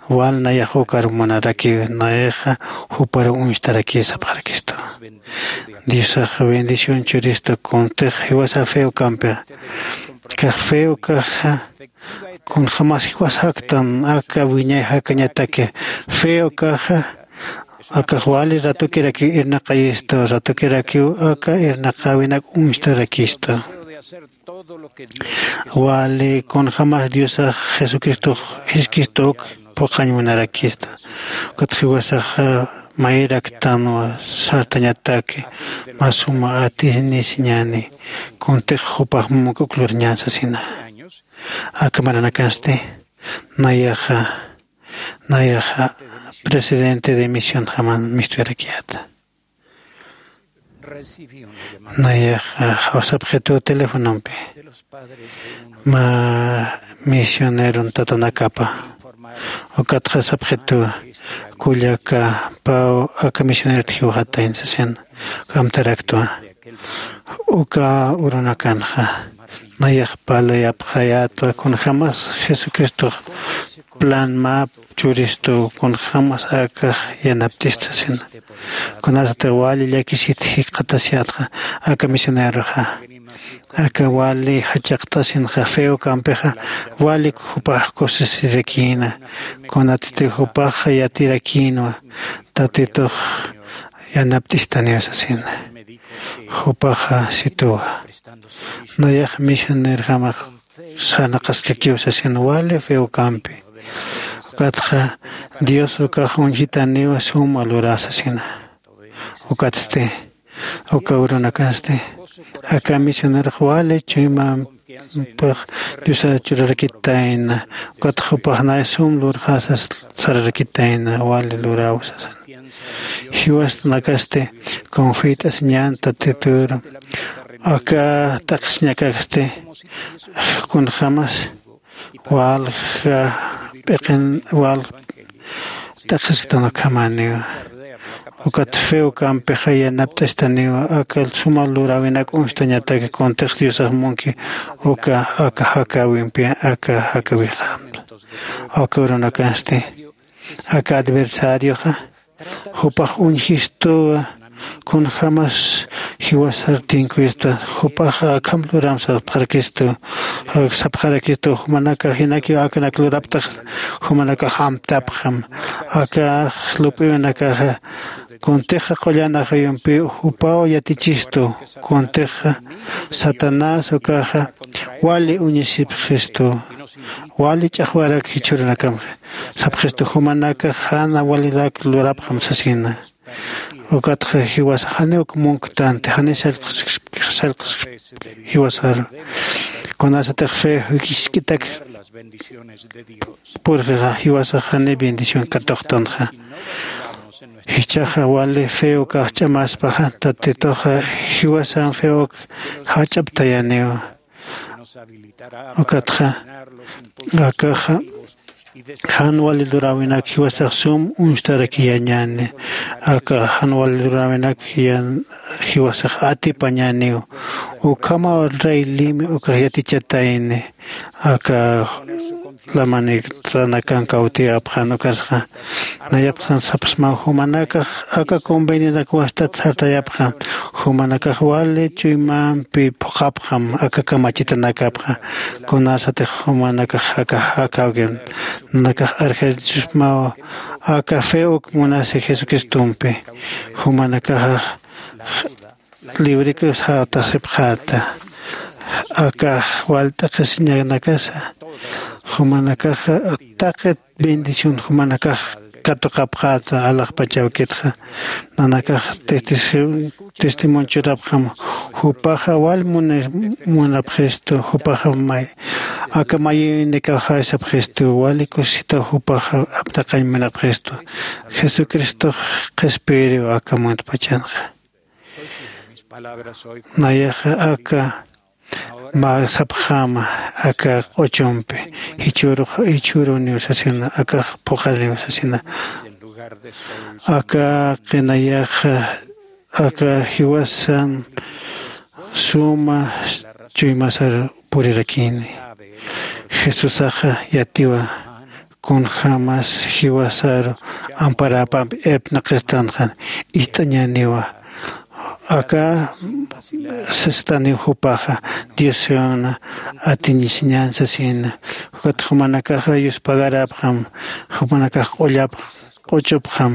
wal nayax ukar munarakiw, nayaxa jupar uñstarakiw sapxarakistu. Diosax bendición churistu kuntix jiwasa feo kampixa. Kax feo kaxa kunjämas jiwas jaktan aka wiñay jakañataki. Feo kaxa akax wali ratukirakiw irnaqayistu, ratukirakiw aka irnaqäwinak uñstarakistu. Wali kunjämas diosax jesucristox jiskistuk phuqhañ munarakista. Ukat jiwasaxa mayiraktanwa sartañataki mä suma atinisiñäni. Kuntix jupax mumuk uk lurñän sasina. Aka maranakansti nayaxa nayaxa presidente de misionjaman mistuyarakiyäta. Nayaxa sapxitu telefonompi mä misioneron tatanakapa. Ukatxa sapxitu kullaka paw aka misionerot jiwxatayn sasin. Kamtaraktwa uka urunakanxa nayax parlayapxayätwa kunjämas jesucristox plan mä churistu kunjämas akax yanapt'ista sasina. Kunasatix wali llakisit jikxatasiyätxa aka misioneroxa aka wali jachaqtasinxa feo kampixa walik jupax kusisirakïna. Kunatitix jupaxa yatirakïnwa tatitux yanapt'istaniw sasina. Jupaxa situwa nayax misionerjamax sarnaqaskakiw sasina wali feo kampi. Ukatxa dios ukax uñjitaniw suma lurä sasina. Ukatsti uka urunakasti aka misionerox wali chuymampix diosar churarakitayna. Ukat jupaxnay sum lurxasas sararakitayna wali luräw sasan. Jiwasanakasti confit'asiñän tatitur aka t'aqhisiñakakasti kunjämas walja p'iqin wal t'aqhisktan ukhamäniwa. Ukat feo kampixa yanapt'astaniwa aka suma luräwinak uñstañataki kuntix diosax munki uka aka jakäwimpi aka jakäwixamta. Aka urunakansti aka adversarioxa jupax uñjistuwa kunjämas jiwasar tinkuyistwa. Jupaxa akham luram sapxarakistu sapxarakistu jumanakax jinakiw akanak luraptax jumanakax amtapxam. Akax lup'iwinakaxa kuntixa qullan ajayumpiw jupaw yatichistu. Kuntixa satanás ukaxa wali uñisipxistu wali ch'axwarak jichhürunakamxa sapxistu jumanakax jan walirak lurapxam sasina. Ukatxa jiwasax janiw uk munktanti janiw sallqsksp jiwasaru. Kunasatix fe jisk'itak purxixa jiwasax janiw bendición katuqtanxa. Jichhaxa wali fe ukax ch'amaspaxa tatituxa jiwasan fe uk jach'aptayaniw. Ukatxa akaxa jan wali luräwinak jiwasax sum uñstarakiyañäni. Aka jan wali luräwinak jiwasax atipañäniw. Ukhamaw rey limi ukax yatichatayni aka lamanitanakan kawtiyapxan ukasxa. Nayapxsan sapxsmaw jumanakax aka convenionak wastat sartayapxan. Jumanakax wali chuymampi phuqapxam aka kamachitanakapxa. Kunasatix jumanakax aka jakawkin nanakax arjarichusmaw aka fe uk munasi jesucristompi. Jumanakaxa librikus jatasipxata. Akax walt'aqisiñanakasa jumanakaxa taqi bendición jumanakax katuqapxata alaxpachawkitxa. Nanakax testimonchurapxam jupaxa wal munapxistu jupaxa may aka mayinikaxaysapxistu wali kusisitaw jupaxa aptaqañ munapxistu. Jesucristox qhispiriw aka muntpachanxa. Nayaxa aka mä sapxäma aka q'uchumpi jichhürux jichhüruniw sasina akax phuqhariniw sasina. Aka qinayaxa aka jiwasan suma chuymasar purirakini. Jesusaxa yatiwa kunjämas jiwasaru amparäpampi irpnaqistanxan ist'añäniwa. Aka sistaniw jupaxa diosuna atiñisiñan sasina. Ukat jumanakaxa yuspagaräpxam jumanakax q'ullapx q'uchupxam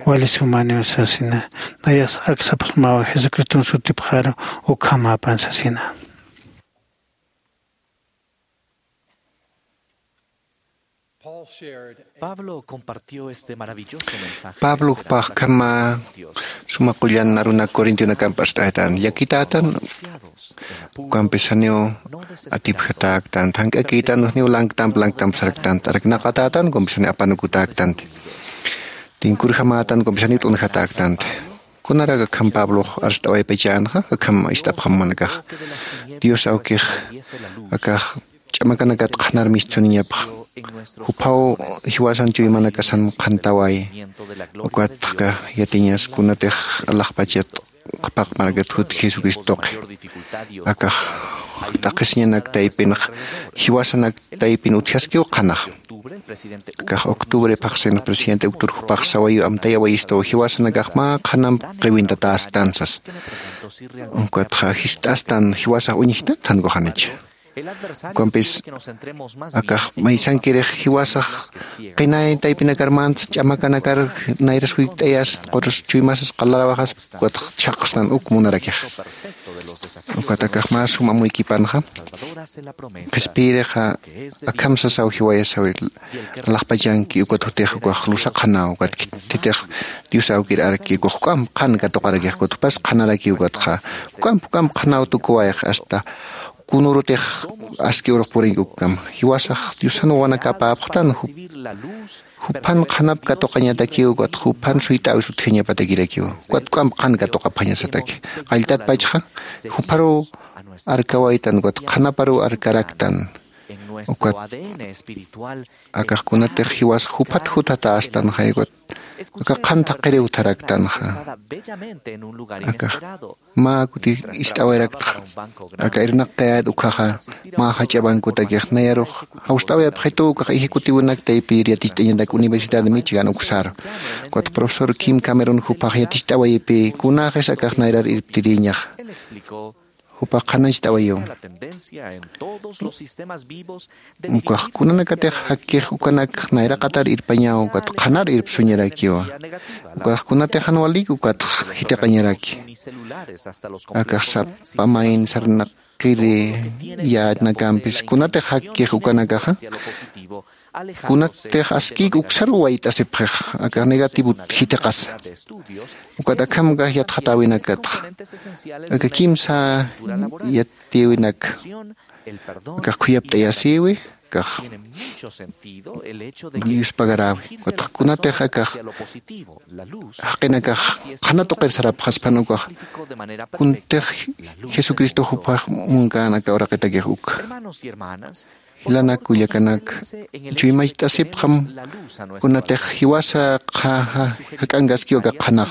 wali sumaniw sasina. Nayax ak sapxsmawa jesucriston sutipxaru ukhamäpan sasina. Pablo compartió este maravilloso mensaje. Pablo jupaxkhama suma qullan aruna corintionakamp ast'aytan llakitätan. Ukampis janiw atipjatäktan thank'akïtan janiw lanktamp lanktamp saraktan araknaqatätan ukampis janiw apanukutäktanti. Tinkurjamätan ukampis janiw t'unjatäktanti. Kunarak akham pablox arst'awaypachänxa akham ist'apxam jumanakax dios awkix akax ch'amakanakat qhanar mistsuniñapxa. Juphaw jiwasan chuymanakasan qhantawayi. Ukatxa yatiñas kunatix alaxpachat qhapaq markat jut jesucristoqi akax t'aqhisiñanak taypinx jiwasanak taypin utjaskiw qhanax. Akax octubre phaxsinx presidente uctur jupax sawayu amtayawayistaw jiwasanakax mä qhanamp qiwintatästan sas. Ukatxa jist'astan jiwasax uñjtan thankuxanicha. Ukampis akax maysankirix jiwasax qinay taypinakarmant ch'amakanakar nayras jukt'ayas qurus chuymasas qalarawaxas ukatx chhaqstan uk munarakix. Ukat akax mä suma amuykipanxa qhispiyirixa akham sasaw jiwayasawi alaxpachanki ukat jutix ukax lusaqxanaw ukat khititix dios awkir arki ukax juk'amp qhan katuqarakix ukat jupas qhanaraki ukatxa juk'amp juk'amp qhanaw tukuwayx asta kunurutix aski urux purinki ukkam jiwasax diosan wawanakapäpxtan juphan qhanap katuqañatakiw ukat juphan suyt'äwis utjañapatakirakiw ukat juk'amp qhan katuqapxañasataki. Qalltatpachxa jupharuw arkawaytan ukat qhanaparuw arkaraktan. Ukat akax kunatix jiwasax juphat juthatästanxay ukat aka qhan thaqhiriw utharaktanxa. Akax mä kuti ist'awayraktxa aka irnaqkayät ukkhaxa mä jach'a bancotakix nayarux jawst'awayapxitu ukax ejecutivonak taypir yaticht'añatak universidad de michigan uksaru. Ukat profesor kim cameron jupax yaticht'awayipï kunaxis akax nayrar irptirïñaxa. Jupax qhanañcht'awayiw. Ukax kunanakatix jakkix ukanak nayraqatar irpañaw ukat qhanar irpsuñarakiwa. Ukax kunatix jan walik ukatx jitiqañaraki. Akax sapa mayn sarnaqiri yänakampis kunatix jakkix ukanakaxa kunatix askïk uksaruw wayt'asipxix. Akax negativot jitiqasa ukat akham akax yatxatäwinakatxa aka kimsa yatiyäwinak akax khuyapt'ayasïwi. Akax yuspagaräwi ukatx kunatix akax jaqinakax qhana tuqir sarapxaspan ukax kuntix jesucristo juphax munkän aka uraqitakix uk. Jilanak kullakanak chuymacht'asipxam kunatix jiwasa qha jak'ankaskiw aka qhanax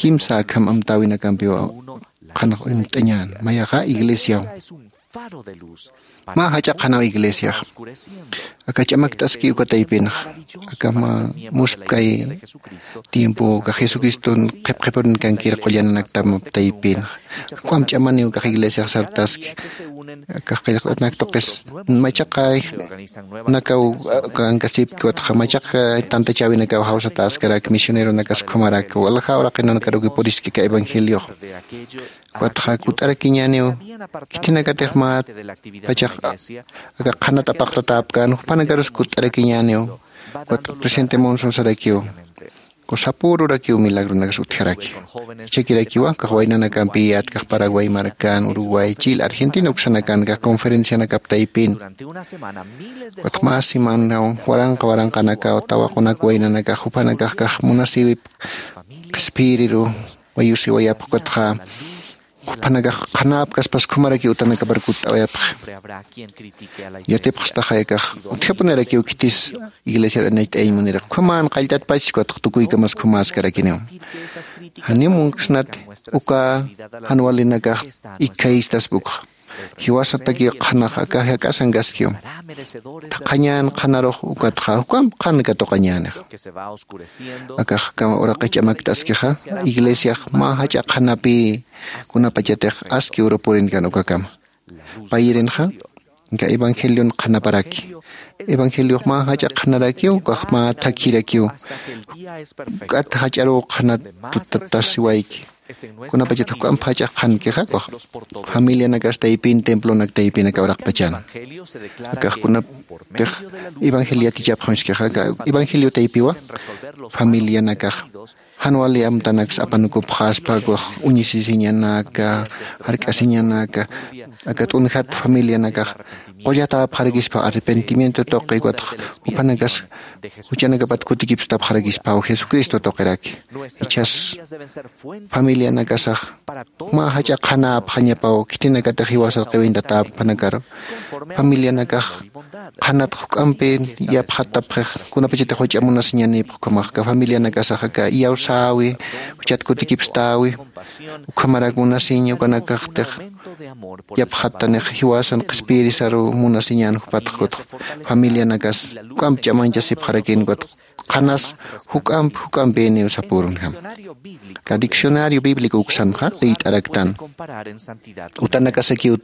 kimsa akham amtäwinakampiw qhanax uñt'añän mayaxa iglesiaw. Mä jach'a qhanaw iglesiax aka ch'amakt'aski uka taypinxa. Aka mä muspkay tiempo aka jesucriston qhipqhipurunkankir qullananaktam taypinxa. Juk'am ch'amaniw aka iglesiax sartaski. Aka qillqt'anak tuqis machaqay nakaw kankasipki watxa machaqay tantachäwinakaw jawsataskarak misioneronakas ukhamarak walja uraqinanakaruki puriski aka evangeliox. Ukatxa kut'arakiñäniw khitinakatix mä pachax aka qhanat apaqtatäpkän jupanakarus kut'arakiñäniw. Ukat presidente monson sarakiw sapürurakiw milagronakas utjaraki. Jichhakirakiwa kax waynanakampi yätkax paraguay markan uruguay chile argentina uksanakan kax conferencianakap taypin. Ukat mä semanaw waranqa waranqanakaw tawaqunak waynanakax jupanakax kax munasïwip qhispiyiriru wayusiwayapxkatxa. Jupanakax qhanäpkaspas ukhamaraki utanakapar kutt'awayapxi. Yatipxstaxayakax utjapunirakiw khitis iglesiar anayt'ayañ muniraq ukhaman qalltatpachis ukatx tukuykamas ukhamäskarakiniw. Janiw munksnati uka jan walinakax ikkhayistaspa ukxa. Jiwasatakiw qhanax aka jak'asankaskiw thaqhañän qhanarux ukatxa juk'amp qhan katuqañänixa. Akax kama uraqix ch'amakt'askixa iglesiax mä jach'a qhanapï kunapachatix aski uru purinkan ukakama. Payirinxa aka evangelion qhanaparaki. Evangeliox mä jach'a qhanarakiw ukax mä thakhirakiw. Juk'at jach'aruw qhanat tutatasiwayki. Kunapachat juk'amp jach'a qhankixa ukax familianakas taypin templonak taypin aka uraqpachan. Akax kunaptix evangelio yatichapxamskixa aka evangelio taypiwa familianakax jan wali amtanaksa apanukupxaspa uñisisiñanaka jark'asiñanaka aka t'unjat familianakax qullatäpxarakispa arrepentimiento tuqi ukatx jupanakas juchanakapat kutikipstapxarakispaw jesucristo tuqiraki. Ichhas familianakasax mä jach'a qhanäpxañapaw khitinakatix jiwasar qiwintatäpxanakaru familianakax qhanat juk'ampi yapxattapxix kunapachatix juch'a munasiñanïpx ukhamax aka familianakasax aka iyawsäwi juchat kutikipstäwi ukhamarak munasiña ukanakaxtix yapxattanix jiwasan qhispiyirisaruw munasiñän jupatx ukatx familianakas juk'amp ch'amañchasipxarakïn ukatx qhanas juk'amp juk'ampïniw sapürunjam. Aka diccionario bíblico uksanxa liyt'araktan utanakasakiw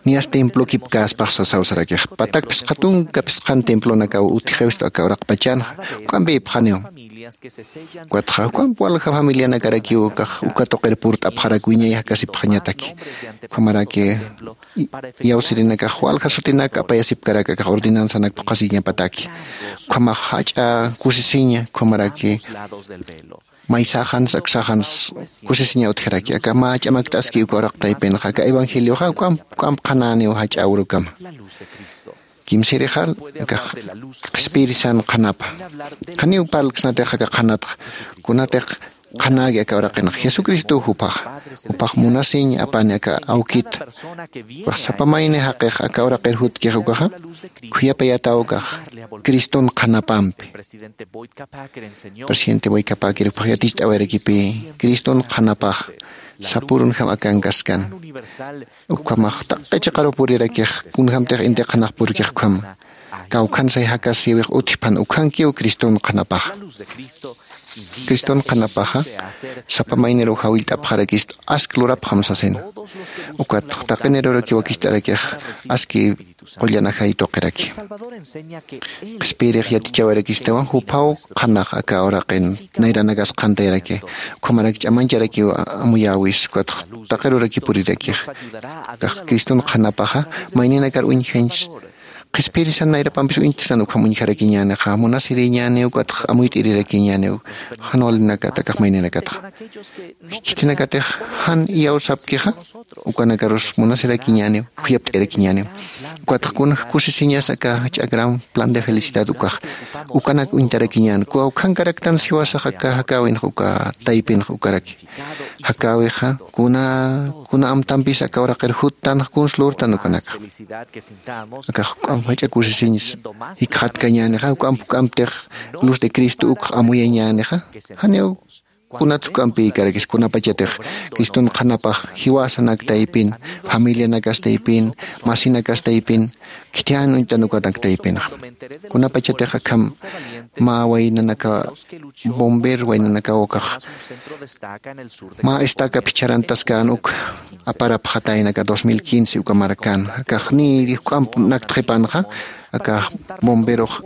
niyas templokipkäspax sasaw sarakix patak phisqa tunka phisqan templonakaw utjiwstu aka uraqpachanxa juk'ampïpxaniw. Ukatxa juk'amp walja familianakarakiw ukax uka tuqir purt'apxarak wiñay jakasipxañataki ukhamaraki iyawsirinakax walja sutinak apayasipkarak akax ordenanzanak phuqhasiñapataki ukhamax jach'a kusisiña ukhamaraki maysaxans aksaxans kusisiña utjaraki aka mä ch'amakt'aski uka uraq taypinxa aka evangelioxa uk'amp qhanäniw jach'a urukama. Kimsirixal akax qhispiyirisan qhanapa janiw parlksnatix aka qhanatxa kunatix qhanäki aka uraqinxa jesucristow jupaxa jupax munasiñ apani aka awkita. Ukax sapa mayni jaqix aka uraqir jutkix ukaxa khuyapayataw ukax criston qhanapampi. Presidente boykapäkir jupax yaticht'awayarakipï criston qhanapax sapürunjam akankaskan. Ukhamax taqi chiqaruw purirakix kunjämtix inti qhanax purkix ukhama kawkhansay jakasïwix utjpan ukhankiw criston qhanapaxa. Criston qhanapaxa sapa mayniruw jawillt'apxarakist ask lurapxam sasina. Ukatx taqinirurakiw wakicht'arakix aski qullanajay tuqiraki. Qhispiyirix yatichawayarakistawa juphaw qhanax aka uraqin nayranakas qhantayaraki ukhamarak ch'amancharakiw amuyäwis ukatx taqiruraki purirakix. Kax criston qhanapaxa mayninakar uñjañs qhispiyirisan nayrapampis uñjtsan ukham uñjarakiñänixa munasiriñäniw ukatx amuyt'irirakiñäniw jan walinakat akax mayninakatxa. Khitinakatix jan iyawsapkixa ukanakarus munasirakiñäniw khuyapt'irakiñäniw. Ukatx kunaj kusisiñas aka jach'a gran plan de felicidad ukax ukanak uñtarakiñän kuwa ukhankaraktan siwasax aka jakäwinx uka taypinx ukaraki. Jakäwixa kuna kuna amtampis aka uraqir juttanx kuns lurtan ukanakxa. Akax juk'amp jach'a kusisiñs jikxatkañänixa juk'amp juk'amptix luz de cristo ukx amuyañänixa. Janiw Kunats juk'ampi ikarakis kunapachatix criston qhanapax jiwasanak taypin, familianakas taypin, masinakas taypin khithiyan uñtan ukanak taypinxa. Kunapachatix akham mä waynanaka bomber waynanakaw ukax mä estaca phichharantaskän uk aparapxatayna aka dos mil quince uka markan akax ni juk'amp naktxipanxa. Aka bomberux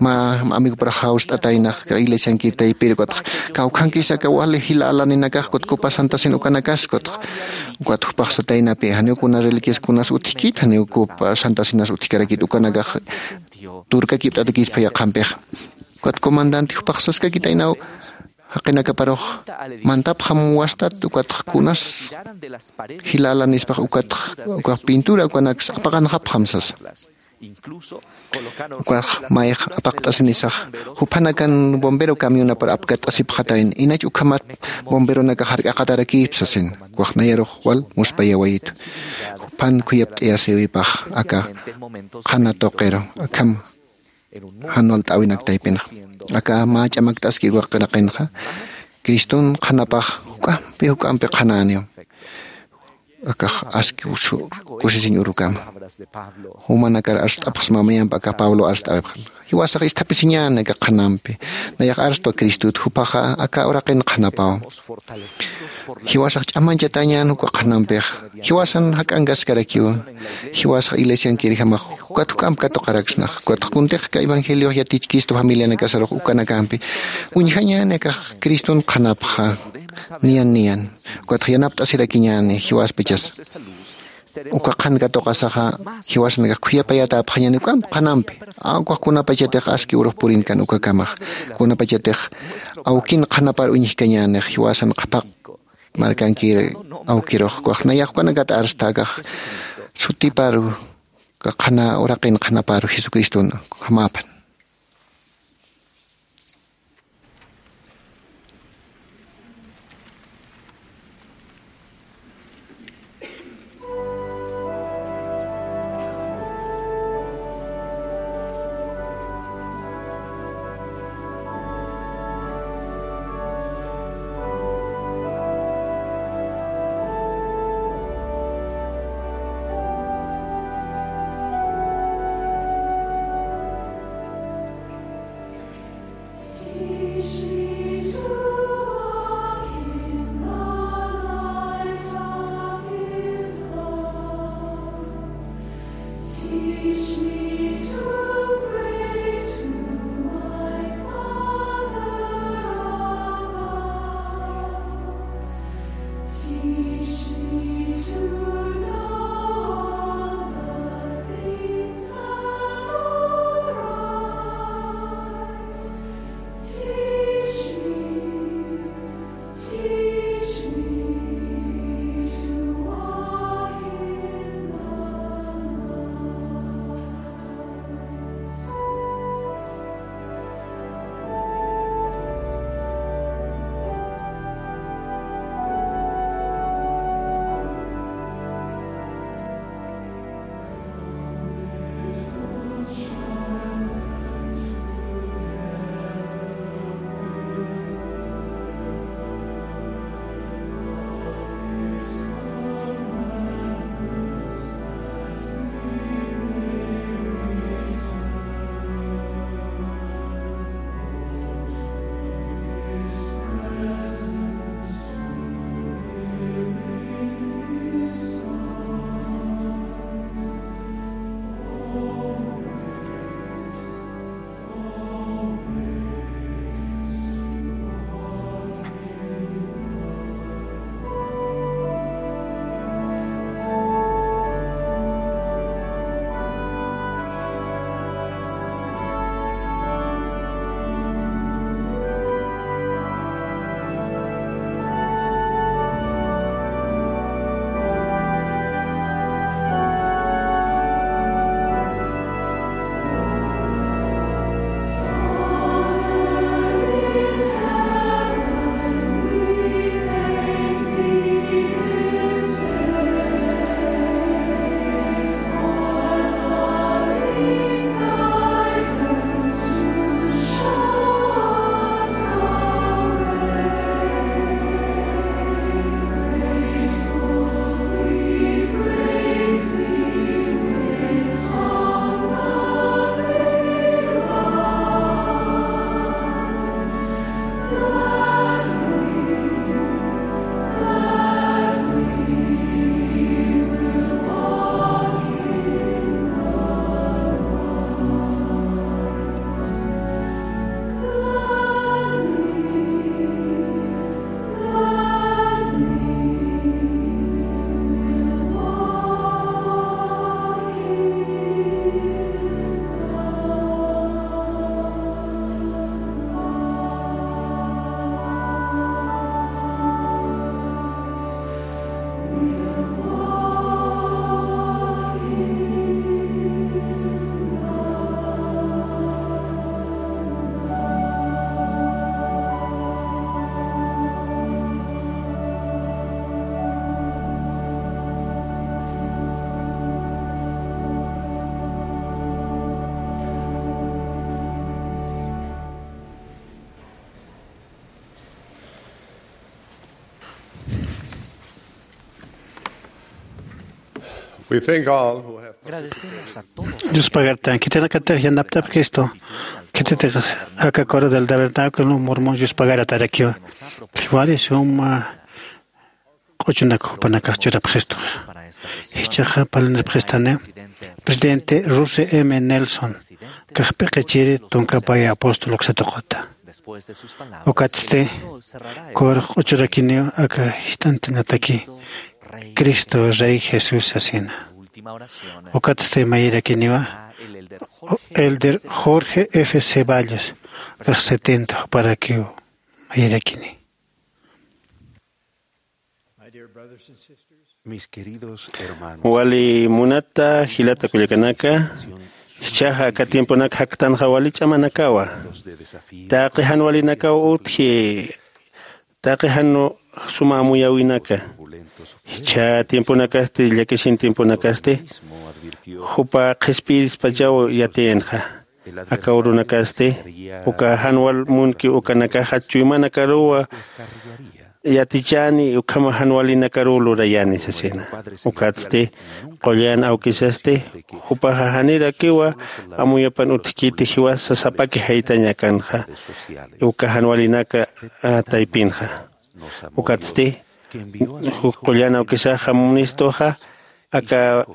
mä amigoparax jawst'ataynax iglesiankir taypir ukatx kawkhankis aka wali jila alaninakax kut copa santasin ukanakas kutx ukat jupax sataynapi janiw kuna reliquias kunas utjkit janiw copa santasinas utjkarakit ukanakax turkakipt'atakispa yaqhampix. Ukat comandante jupax saskakitaynaw jaqinakaparux mantapxam wastat ukatx kunas jila alanispax ukatx ukax pintura ukanaks apaqanxapxam sasa. Ukax mayx apaqt'asinisax juphanakan bombero camionapar apkatt'asipxatayn inach ukhamat bomberonakax jark'aqatarakïpsasin. Ukax nayarux wal muspayawayitu juphan khuyapt'ayasiwipax aka qhana tuqiru akham jan walt'äwinak taypinxa. Aka mä ch'amakt'aski uka qiraqinxa criston qhanapax juk'ampi juk'ampi qhanäniw. Akax aski usu kusisiñ urukama jumanakar arst'apxsma mayamp aka pablo arst'awipxan jiwasax isthapisiñäni aka qhanampi. Nayax arstwa cristut jupaxa aka uraqin qhanapaw. Jiwasax ch'amanchatañän uka qhanampix jiwasan jak'ankaskarakiw. Jiwasax iglesiankirjamax ukat juk'amp katuqaraksnax ukatx kuntixka evangeliox yatichkistu familianakasarux ukanakampi uñjañäni akax criston qhanapxa. Niyan niyan ukatx yanapt'asirakiñäni jiwaspachas uka qhan katuqasaxa jiwasanakax khuyapayätäpxañäni juk'amp qhanampi. Ukax kunapachatix aski urux purinkan ukakamax kunapachatix awkin qhanapar uñjkañänix jiwasan qhapaq markankir awkirux ukax nayax ukanakat arstha akax sutiparu uka qhana uraqin qhanaparu jesucriston jamäpan. We thank all who have participated. Yuspagartan khitinakatix yanapt'apkistu. Khititix aka coro del tabernáculo mormón yuspagartarakiwa. Khiwari suma q'uchunak jupanakax churapxistuxa. Jichhaxa parlinirpxistani presidente Russell M Nelson, kax p'iqichiri tunkapaya apóstol uksatuquta. Ukatsti kuwarux q'uchurakiniw aka jist'antinataki Cristo Rey Jesús sasina. Ukatsti mayirakiniwa elder Jorge F Ceballos, kax setenta juparakiw mayirakini. Wali munata jilata kullakanaka, jichhaxa aka tiemponak jaktanxa wali ch'amanakawa. Taqi jan walinakaw utji, taqi jan suma amuyäwinaka. Jichha tiemponakasti, llakisin tiemponakasti, jupa qhispiyirispachaw yatiyanxa. Aka urunakasti, uka jan wal munki ukanakaxa chuymanakaruwa yatichani, ukhama jan walinakaruw lurayani sasina. Ukatsti, qullan awkisasti, jupaxa janirakiwa amuyapan utjkiti jiwasa sapaki jaytañ akanxa, uka jan walinaka, a, taypinxa. Ukatsti, ju-, qullan awkisaxa munistuxa, aka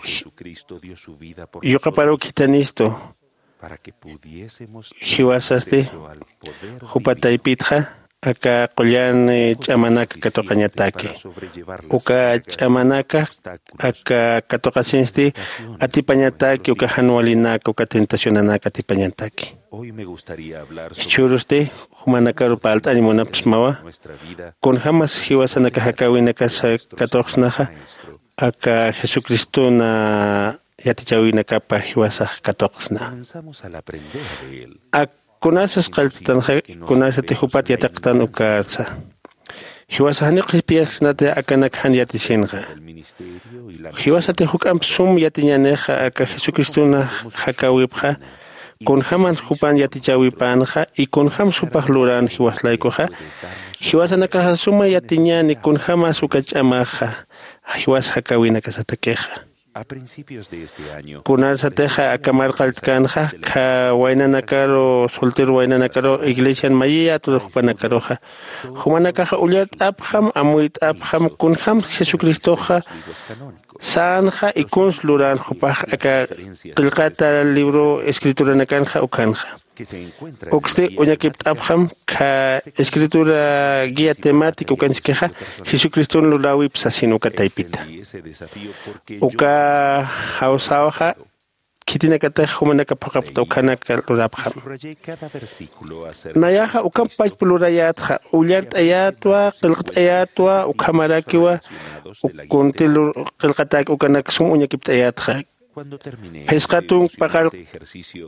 yuqaparuw khithanistu. Jiwasasti, jupa taypitxa, aka qullan, eh, ch'amanaka katuqañataki. Uka ch'amanaka, aka katuqasinsti, atipañataki, uka jan walinaka, uka tentacionanaka atipañataki. Jichhürusti, jumanakaru parlt'añ munapxsmawa, kunjämas jiwasanaka jakäwinakasa katuqsnaxa, aka Jesucristona yatichäwinakapa jiwasax katuqsna. Ak kunasas qalltatanxa, kunasati jupat yatiqtan ukasa. Jiwasax janiw qhispiyasknati akanak jan yatisinxa. Jiwasati juk'amp sum yatiñänixa aka Jesucristona jakäwipxa, kunjäman jupan yatichäwipänxa, y kunjämsa jupax lurän jiwas laykuxa, jiwasanakaxa suma yatiñäni kunjämas uka ch'amaxa, jiwas jakäwinakasatakixa. Kunarsatixa aka marqalltkanxa, kha waynanakaru, soltero waynanakaru, iglesian mayiyätwa jupanakaruxa. Jumanakaxa ullart'apxam, amuyt'apxam, kunjämsa Jesucristoxa sänxa, y kuns lurän jupax aka qillqata libro escrituranakanxa ukhanxa. Uksti uñakipt'apxam kha escritura guía temática ukanchiskixa, Jesucriston luräwip sasin uka taypita. Uka jawsäwxa khitinakatix jumanaka phuqhapxta ukhanaka lurapxam. Nayaxa ukham pachpa lurayätxa, ullart'ayätwa, qillqt'ayätwa, ukhamarakiwa, uk kunti lur-, qillqatäki ukanak sum uñakipt'ayätxa. Phisqa tunk paqallq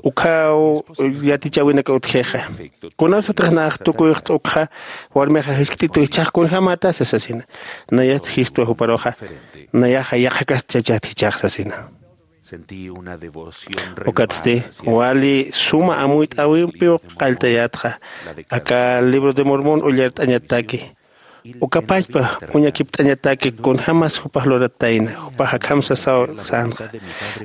ukhaw yatichäwinaka utjixa. Kunasatix nax tukuyxt'ukxa, warmixa jiskt'itu jichhax kunjämätasa sasina. Nayast jistwa juparuxa, nayaxa yaqhakas chachat jichhax sasina. Ukatsti, wali suma amuyt'äwimpiw qalltayätxa, aka libro de Mormon ullart'añataki. Uka pachpa uñakipt'añataki kunjämas jupax luratayna, jupax akham sasaw sänxa.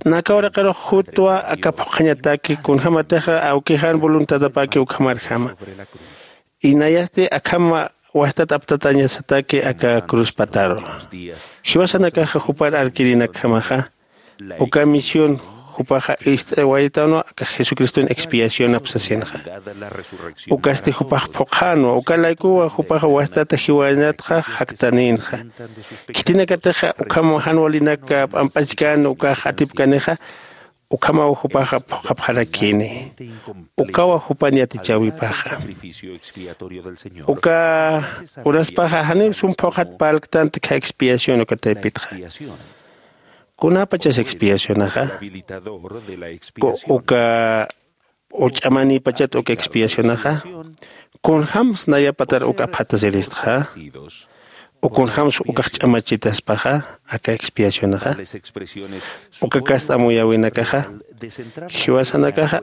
Naka uraqirux jutwa aka phuqhañataki kunjämatixa awkijan voluntadapäki ukhamarjama. Inayasti akham wastat aptatañasataki aka cruz pataru. Jiwasanakaxa jupar arkirinakjamaxa, uka misión jupaxa ist'awaytanwa aka Jesucriston expiacionap sasinxa. Ukasti jupax phuqhänwa, uka laykuwa jupaxa wastata jiwañatxa jaktanïnxa. Khitinakatixa ukham jan walinaka p'amp'achkän ukax atipkanixa, ukhamaw jupaxa phuqhapxarakini. Ukawa jupan yatichäwipaxa. Uka uraspaxa janiw sum phuqhat parlktanti kha expiación uka taypitxa. Kunapachas expiacionaxa, ku-, uka uch'amanïpachat uka expiacionaxa, kunjämsa nayapatar uk apxatasiristxa, u kunjämsa ukax ch'amachitaspaxa, aka expiacionaxa, uka kasta amuyäwinakaxa, jiwasanakaxa,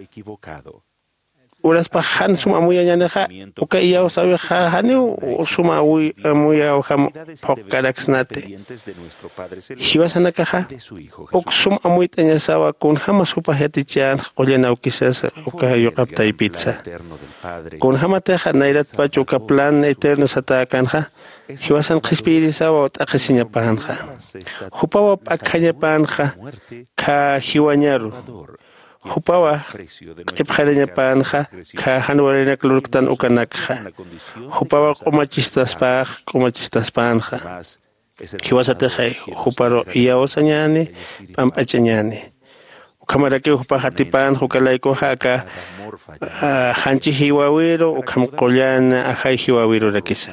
uraspax jan sum amuyañänixa, uka iyawsäwixa janiw sum amuyaw jam phuqkaraksnati. Jiwasanakaxa uk sum amuyt'añasawa kunjämas jupax yatichänxa qullan awkisasa uka yuqap taypitsa. Kunjämatixa nayratpach uka plan eterno satäkänxa jiwasan qhispiyirisawa t'aqhisiñapänxa. Jupawa p'akjañapänxa khä jiwañaru. Jupawa q'ipxarañapänxa khä jan walinak lurktan ukanakxa. Jupawa q'umachistaspäx q'umachistaspänxa. Jiwasatix juparu iyawsañäni p'amp'achañäni. Ukhamarakiw jupax atipänxa uka laykuxa aka janchi jiwawiru ukham qullan ajay jiwawirurakisa.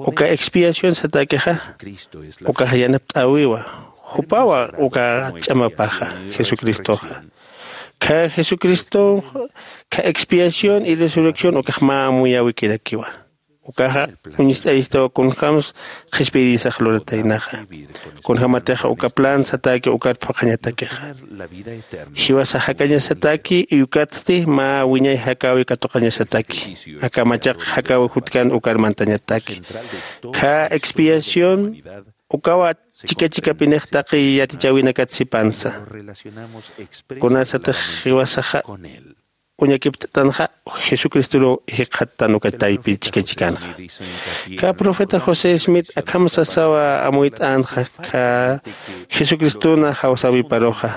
Uka expiación satäkixa ukax yanapt'äwiwa. Jupawa uka ch'amapaxa jesucristoxa. Khä jesucristonx khä expiación y resurrección ukax mä amuyäwikirakiwa. Ukaxa uñst'ayistaw kunjämsa qhispiyirisax lurataynaxa. Kunjämatixa uka plan satäki ukar phuqhañatakixa. Jiwasax jakañasataki y ukatsti mä wiñay jakäwi katuqañasataki. Aka machaq jakäwi jutkän ukar mantañataki. Khä expiación ukawa chika chikapinix taqi yatichäwinakat sipansa. Kunasatix jiwasaxa uñakipt'tanxa jesucristoruw jikxattan uka taypi chika chikanxa. Khä profeta josé smith akham sasawa amuyt'änxa khä jesucristona jawsäwiparuxa.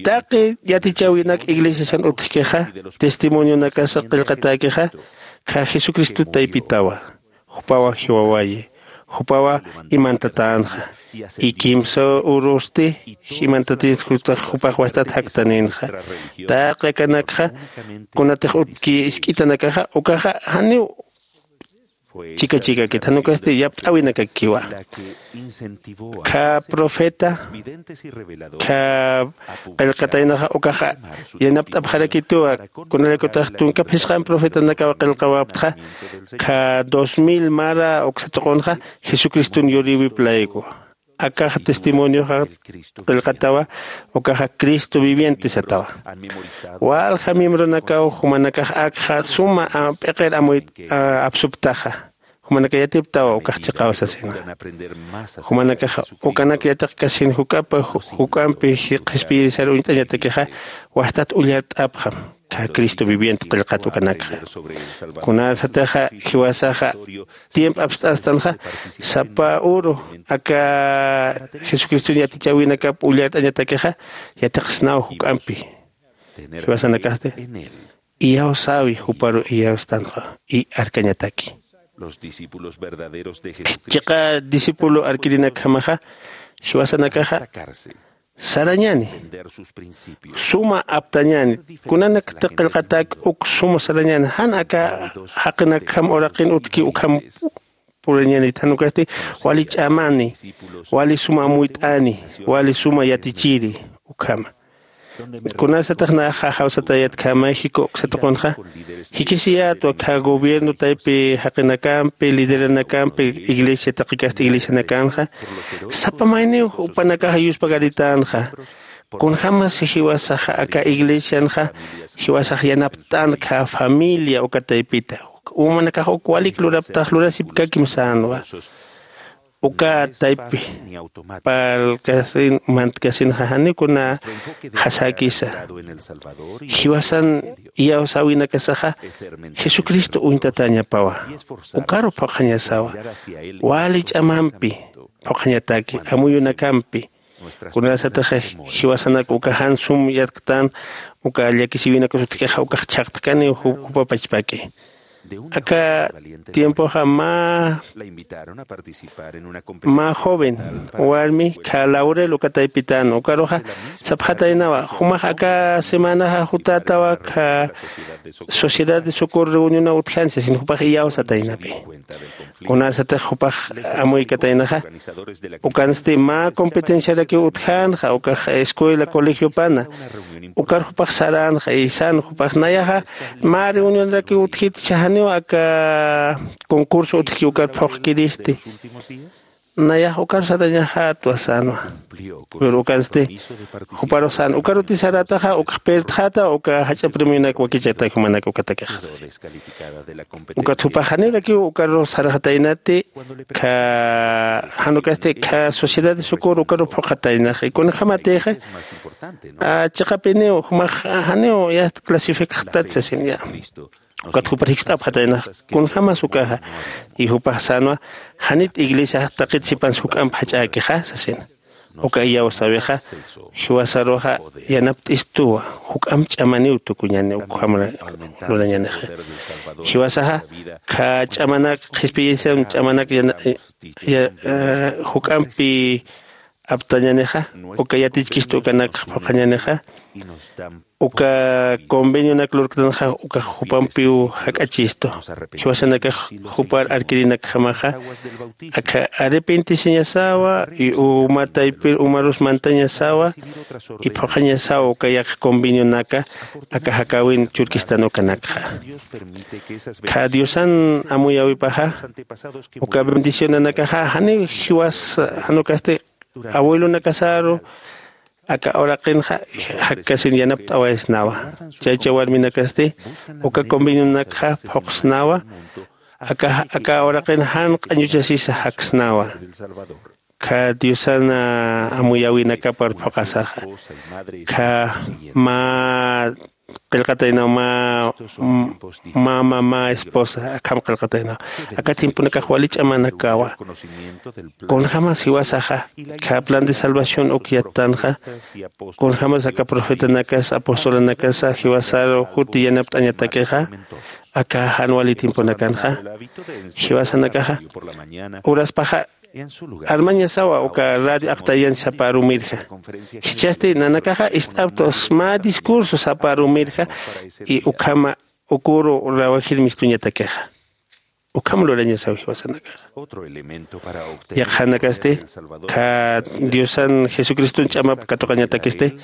Taqi yatichäwinak iglesiasan utjkixa testimonionakasa qillqatäkixa khä jesucristo taypitawa. Jupawa jiwawayi. Jupawa imantatänxa. Y kimsa urusti imantatinxa jupax wastat jaktanïnxa. Taqi akanakxa kunatix utki isk'itanakaxa ukaxa janiw chika chikakit jan ukasti yapt'äwinakakiwa. Khä profeta khä qillqataynaxa ukaxa yanapt'apxarakituwa. Kunalaykutix tunka phisqan profetanakaw qillqawaptxa khä dos mil mara uksa tuqunxa jesucriston yurïwip layku. Akaxa testimonioxa qillqatawa. Ukaxa cristo viviente satawa. Walja miembronakaw jumanakax akxa suma p'iqir amuy apsuptaxa. Jumanaka yatiptawa ukax chiqaw sasina. Jumanakaxa ukanak yatiqkasin juk'apa juk'ampi qhispiyirisar uñt'añatakixa wastat ullart'apxam. Khä cristo viviente qillqat ukanakxa. Kunasatixa jiwasaxa tiempo apst'astanxa sapa uru aka jesucriston yatichäwinakap ullart'añatakixa yatiqsnaw juk'ampi. Jiwasanakasti iyawsäwi juparu iyawstanxa y arkañataki. Chiqa discípulo arkirinakjamaxa jiwasanakaxa sarañäni suma aptañäni. Kunanakta qillqatak uk suma sarañäni jan aka jaqinakjam uraqin utki ukham purañänit jan ukasti wali ch'amani wali suma amuyt'ani wali suma yatichiri ukhama. Kunasatix naxa jawsatayat khä mayjik uksa tuqunxa jikisiyätwa khä gobierno taypi jaqinakampi lideranakampi iglesia taqikasta iglesianakanxa sapa mayniw jupanakaxa yuspagaritanxa. Kunjämasi jiwasaxa aka iglesianxa jiwasax yanapt'an khä familia uka taypita umanakax uk walik luraptax lurasipkakim sänwa. Uka taypi parlkasin mantkasinxa janiw kuna jasäkisa. Jiwasan iyawsäwinakasaxa jesucristo uñtatäñapawa. Ukaru phuqhañasawa wali ch'amampi phuqhañataki amuyunakampi. Kunasatix jiwasanak uka jan sum yatktan uka llakisiwinakas utjkixa ukax chhaqtkani jupapachpaki. Aka tiempoxa mä mä joven warmi khä laurel uka taypitan ukaruxa sapxataynawa jumax aka semanaxa jutätawa khä sociedad de socorro reunionaw utjani sasin jupax iyawsataynapi. Kunasatix jupax amuykataynaxa ukansti mä competenciarakiw utjänxa ukax escuela colegiopana. Ukar jupax saränxa isan jupax nayaxa mä reunionrakiw utjit chhajaniw aka concurso utjki ukar phuqkiristi. nayax ukaru sarañaxätwa sänwa. Pero ukansti juparux sän ukaruti sarätaxa ukxpirtxäta uka jach'a premionak wakichata jumanak ukatakixa. Ukat jupax janirakiw ukaru sarxataynati kha janukasti kha sociedad de socorro ukaru phuqhataynax y kunjämatixa chiqapiniw jumax janiw yast clasificaxtat sasin ya. Ukat jupar jikst'apxataynax kunjämas ukaxa y jupax sänwa janit iglesiax taqit sipansa juk'amp jach'äkixa sasina. Uka iyawsäwixa jiwasaruxa yanapt'istuwa juk'amp ch'amaniw tukuñani ukham lurañanixa. Jiwasaxa kha ch'amanak qhispiyisam ch'amanak juk'ampi aptañanixa uka yatichkistu ukanakxa phuqhañanixa uka convenionak lurktanxa ukax jupampiw jak'achistu. Jiwasanakax jupar arkirinakjamaxa akha arrepentisiñasawa y uma taypir umarus mantañasawa y phuqhañasawa uka yaqha convenionaka aka jakäwin churkistan ukanakxa. Kha diosan amuyäwipaxa uka bendicionanakaxa janiw jiwas jan ukasti abuelonakasaru aka uraqinxa jakkasin yanapt'awaysnawa. Chaycha warminakasti uka convenionakxa phuqsnawa aka aka uraqin jan q'añuchasisa jaksnawa. Kha diosan amuyäwinakapar phuqasaxa kha mä qillqataynaw mä mä mamá esposa akham qillqataynaw aka tiemponakax wali ch'amanakawa. Kunjämas jiwasaxa kha plan de salvación uk yattanxa kunjämas aka profetanakas apostolanakasa jiwasaru juti yanapt'añatakixa aka jan wali tiemponakanxa jiwasanakaxa uraspaxa armañasawa uka radio aqtayan saparumirja. Jichhasti nanakaxa ist'aptus mä discurso saparumirja y ukhama ukuru rawajir mistuñatakixa ukham lurañasaw jiwasanakaxa. Yaqhanakasti kha diosan jesucriston ch'amap katuqañatakisti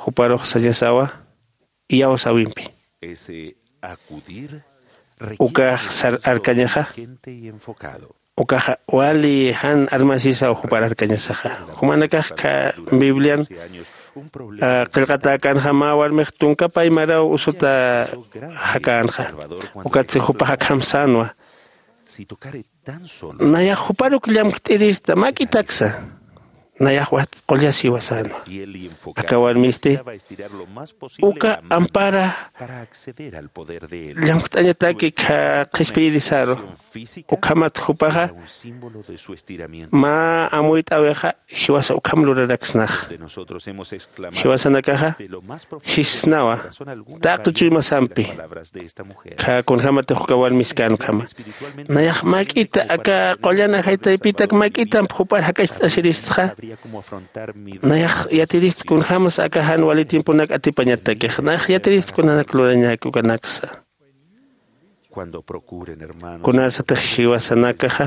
juparux sañasawa iyawsäwimpi ukax sar arkañaxa ukaxa wali jan armasisaw jupar arkañasaxa. Jumanakax kha biblian qillqatäkänxa mä warmix tunka paymaraw usuta jakänxa. Ukatsi jupax akham sänwa nayax juparuk llamkt'irista mäk'itaksa nayax wast qullasiwa sänwa. Aka warmisti uka ampara llamkt'añataki qhispiyirisaru ukhamat jupaxa mä amuyt'äwixa jiwasa ukham luraraksnax. Jiwasanakaxa jisnawa taqi chuymasampi kha kunjämatix uka warmiskän ukhama nayax mäk'ita aka qullan ajay taypitak mäk'itamp jupar jakacht'asiristxa. Nayax yatirist kunjämas aka jan wali tiemponak atipañatakix nayax yatirist kunanak lurañäki ukanaksa. Kunasatix jiwasanakaxa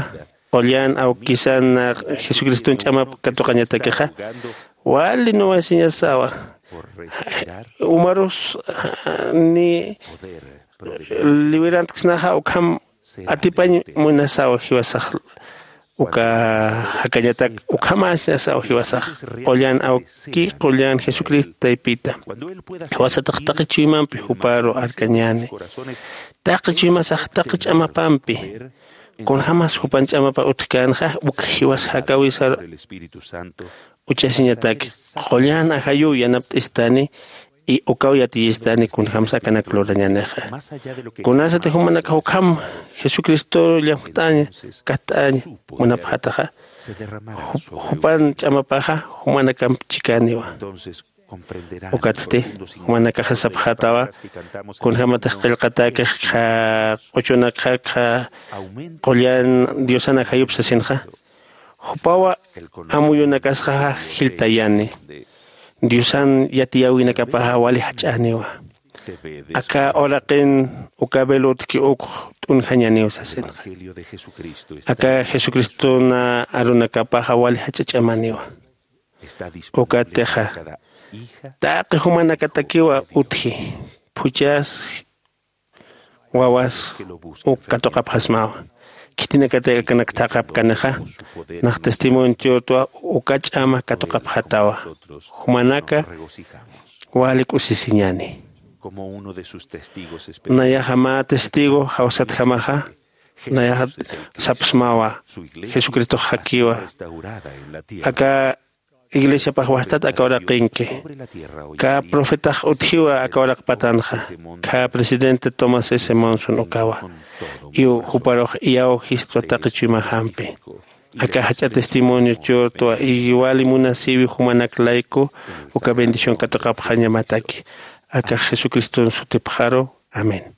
qullan awkisan jesucriston ch'amap katuqañatakixa wali nuwasiñasawa umarus ni liwirantksnaxa ukham atipañ munasaw jiwasax uka jakañatak ukhamäsñasaw jiwasax qullan awki qullan jesucristo taypita. Jiwasatax taqi chuymampi juparu arkañäni taqi chuymasax taqi ch'amapampi kunjämas jupan ch'amapa utjkänxa uk jiwas jakäwisar uchasiñatak qullan ajayuw yanapt'istani y ukaw yatiyistani kunjämsa akanak lurañänixa. Kunasati jumanakax ukham jesucristo llamjt'aña kajt'aña munapxataxa jupan ch'amapaxa jumanakamp chikäniwa. Ukatsti jumanakaxa sapxätawa kunjämatix qillqatäkix qha q'uchunakxa qha qullan diosan ajayup sasinxa jupawa amuyunakasxaxa jiltayani diosan yatiyäwinakapaxa wali jach'äniwa. Aka uraqin uka velo utjki ukx t'unjañaniw sasinxa aka jesucristona arunakapaxa wali jach'a ch'amaniwa. Ukatixa taqi jumanakatakiwa utji phuchas wawas uk katuqapxasmawa. Khitinakatix akanak thaqhapkanixa, nax testimonio churtwa uka ch'ama katuqapxatawa. Jumanaka wali k'usisiñäni. Nayaxa mä testigo jawsatjamaxa, nayaxa sapxsmawa, jesucristox jakiwa, aka iglesiapax wastat aka uraqinki. Kä profetax utjiwa aka uraq patanxa. Kä presidente Thomas S Monson ukawa. Iw juparux iyawjistwa taqi chuymajampi. Aka jach'a testimonio churtwa iwali munasiwi jumanak layku uka bendición katuqapxañamataki. Aka jesucriston sutipxaru. Amén.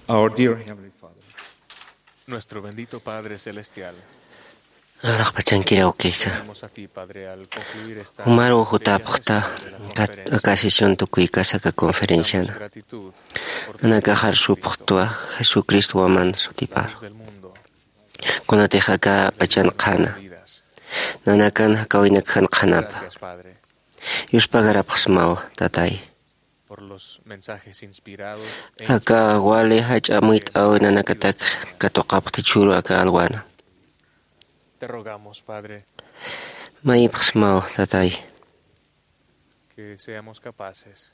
Our dear Heavenly Father. Nuestro bendito Padre Celestial. Araqpachankiraw kisa. Tenemos a ti, Padre, al concluir esta Jumaru jutapxta kat-, conferencia. Aka sesión tukuykasa aka conferenciana. Gratitud por Nanakaxar supxtwa Jesucristo waman sutipar. Del mundo. Kunatix aka pachan qhana. Nanakan jakawinak jan qhanapa. Gracias, Padre. Yuspagarapxsmawa, tatay. Por los mensajes inspirados e Aka wali jach'a muyt'awi nanakatak katuqapxti chhuru aka alwana. Te rogamos, Padre, Mayipxsmaw, tatay. Que seamos capaces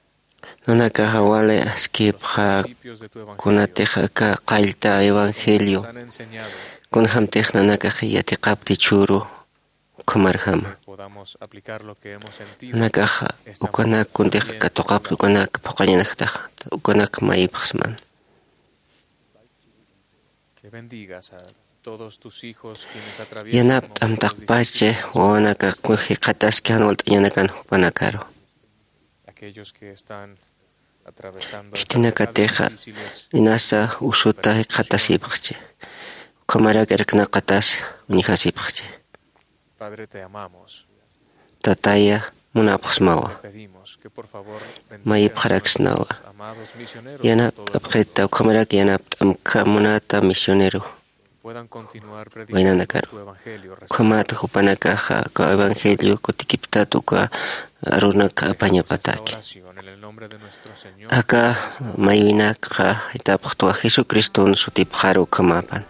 Nanakaxa wali askipxa principios de tu evangelio kunatix aka qallta evangelio nos han enseñado kunjamtix nanakax yatiqapti chhuru ukhamarjama. Podamos aplicar lo que hemos sentido. Nanakaxa esta ukanak mañana kuntix también katuqapti ukanak phuqañanaktax ukanak mayipxsman. Que bendigas a todos tus hijos quienes atraviesan Yanapt'amtaqpachi momentos difíciles. Wawanaka jikxataski jan walt'añanakan jupanakaru. Aquellos que están atravesando Khitinakatixa enfermedades difíciles, inasa usuta jikxatasipxchi. Ukhamarak irknaqatas uñjasipxchi. Padre, te amamos. Tataya, munapxsmawa. Te pedimos que, por favor, bendiga a Mayipxaraksnawa. Nuestros amados misioneros por todo el mundo. Yanapt'apxita, ukhamarak yanapt'amkha munata misionero. Puedan continuar predicando Waynanakaru. Tu evangelio. Ukhamat jupanakaxa, uka evangelio kutikiptat uka arunak apañapataki. Esta oración en el nombre de nuestro Señor Aka Jesucristo. Maywinakxa jitapxtwa Jesucriston sutipxaru ukhamapan.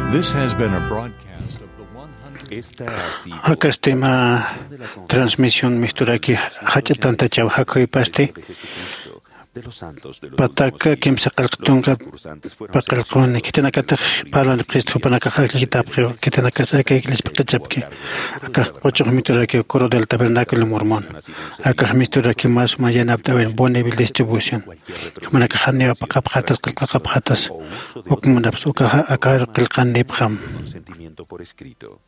This has been a broadcast of the one hundred Esta ha sido Akastima transmisión misturaki jach'a tantachaw jakhuypasti. Pataka kimsa qillq tunka paqillquni, khitinakatix parlanipxist jupanakax akllakitapxiw, khitinakas aka iglesiapi qhichapki. Akax q'uchux misturaki Coro del Tabernáculo Mormón. Akax misturaki más suma yanapt'awin Bonneville Distribución. Jumanakax janiw apaqapxatas, qillqaqapxatas. Uk munapxs ukaxa akaru qillqanipxam. Consentimiento por escrito.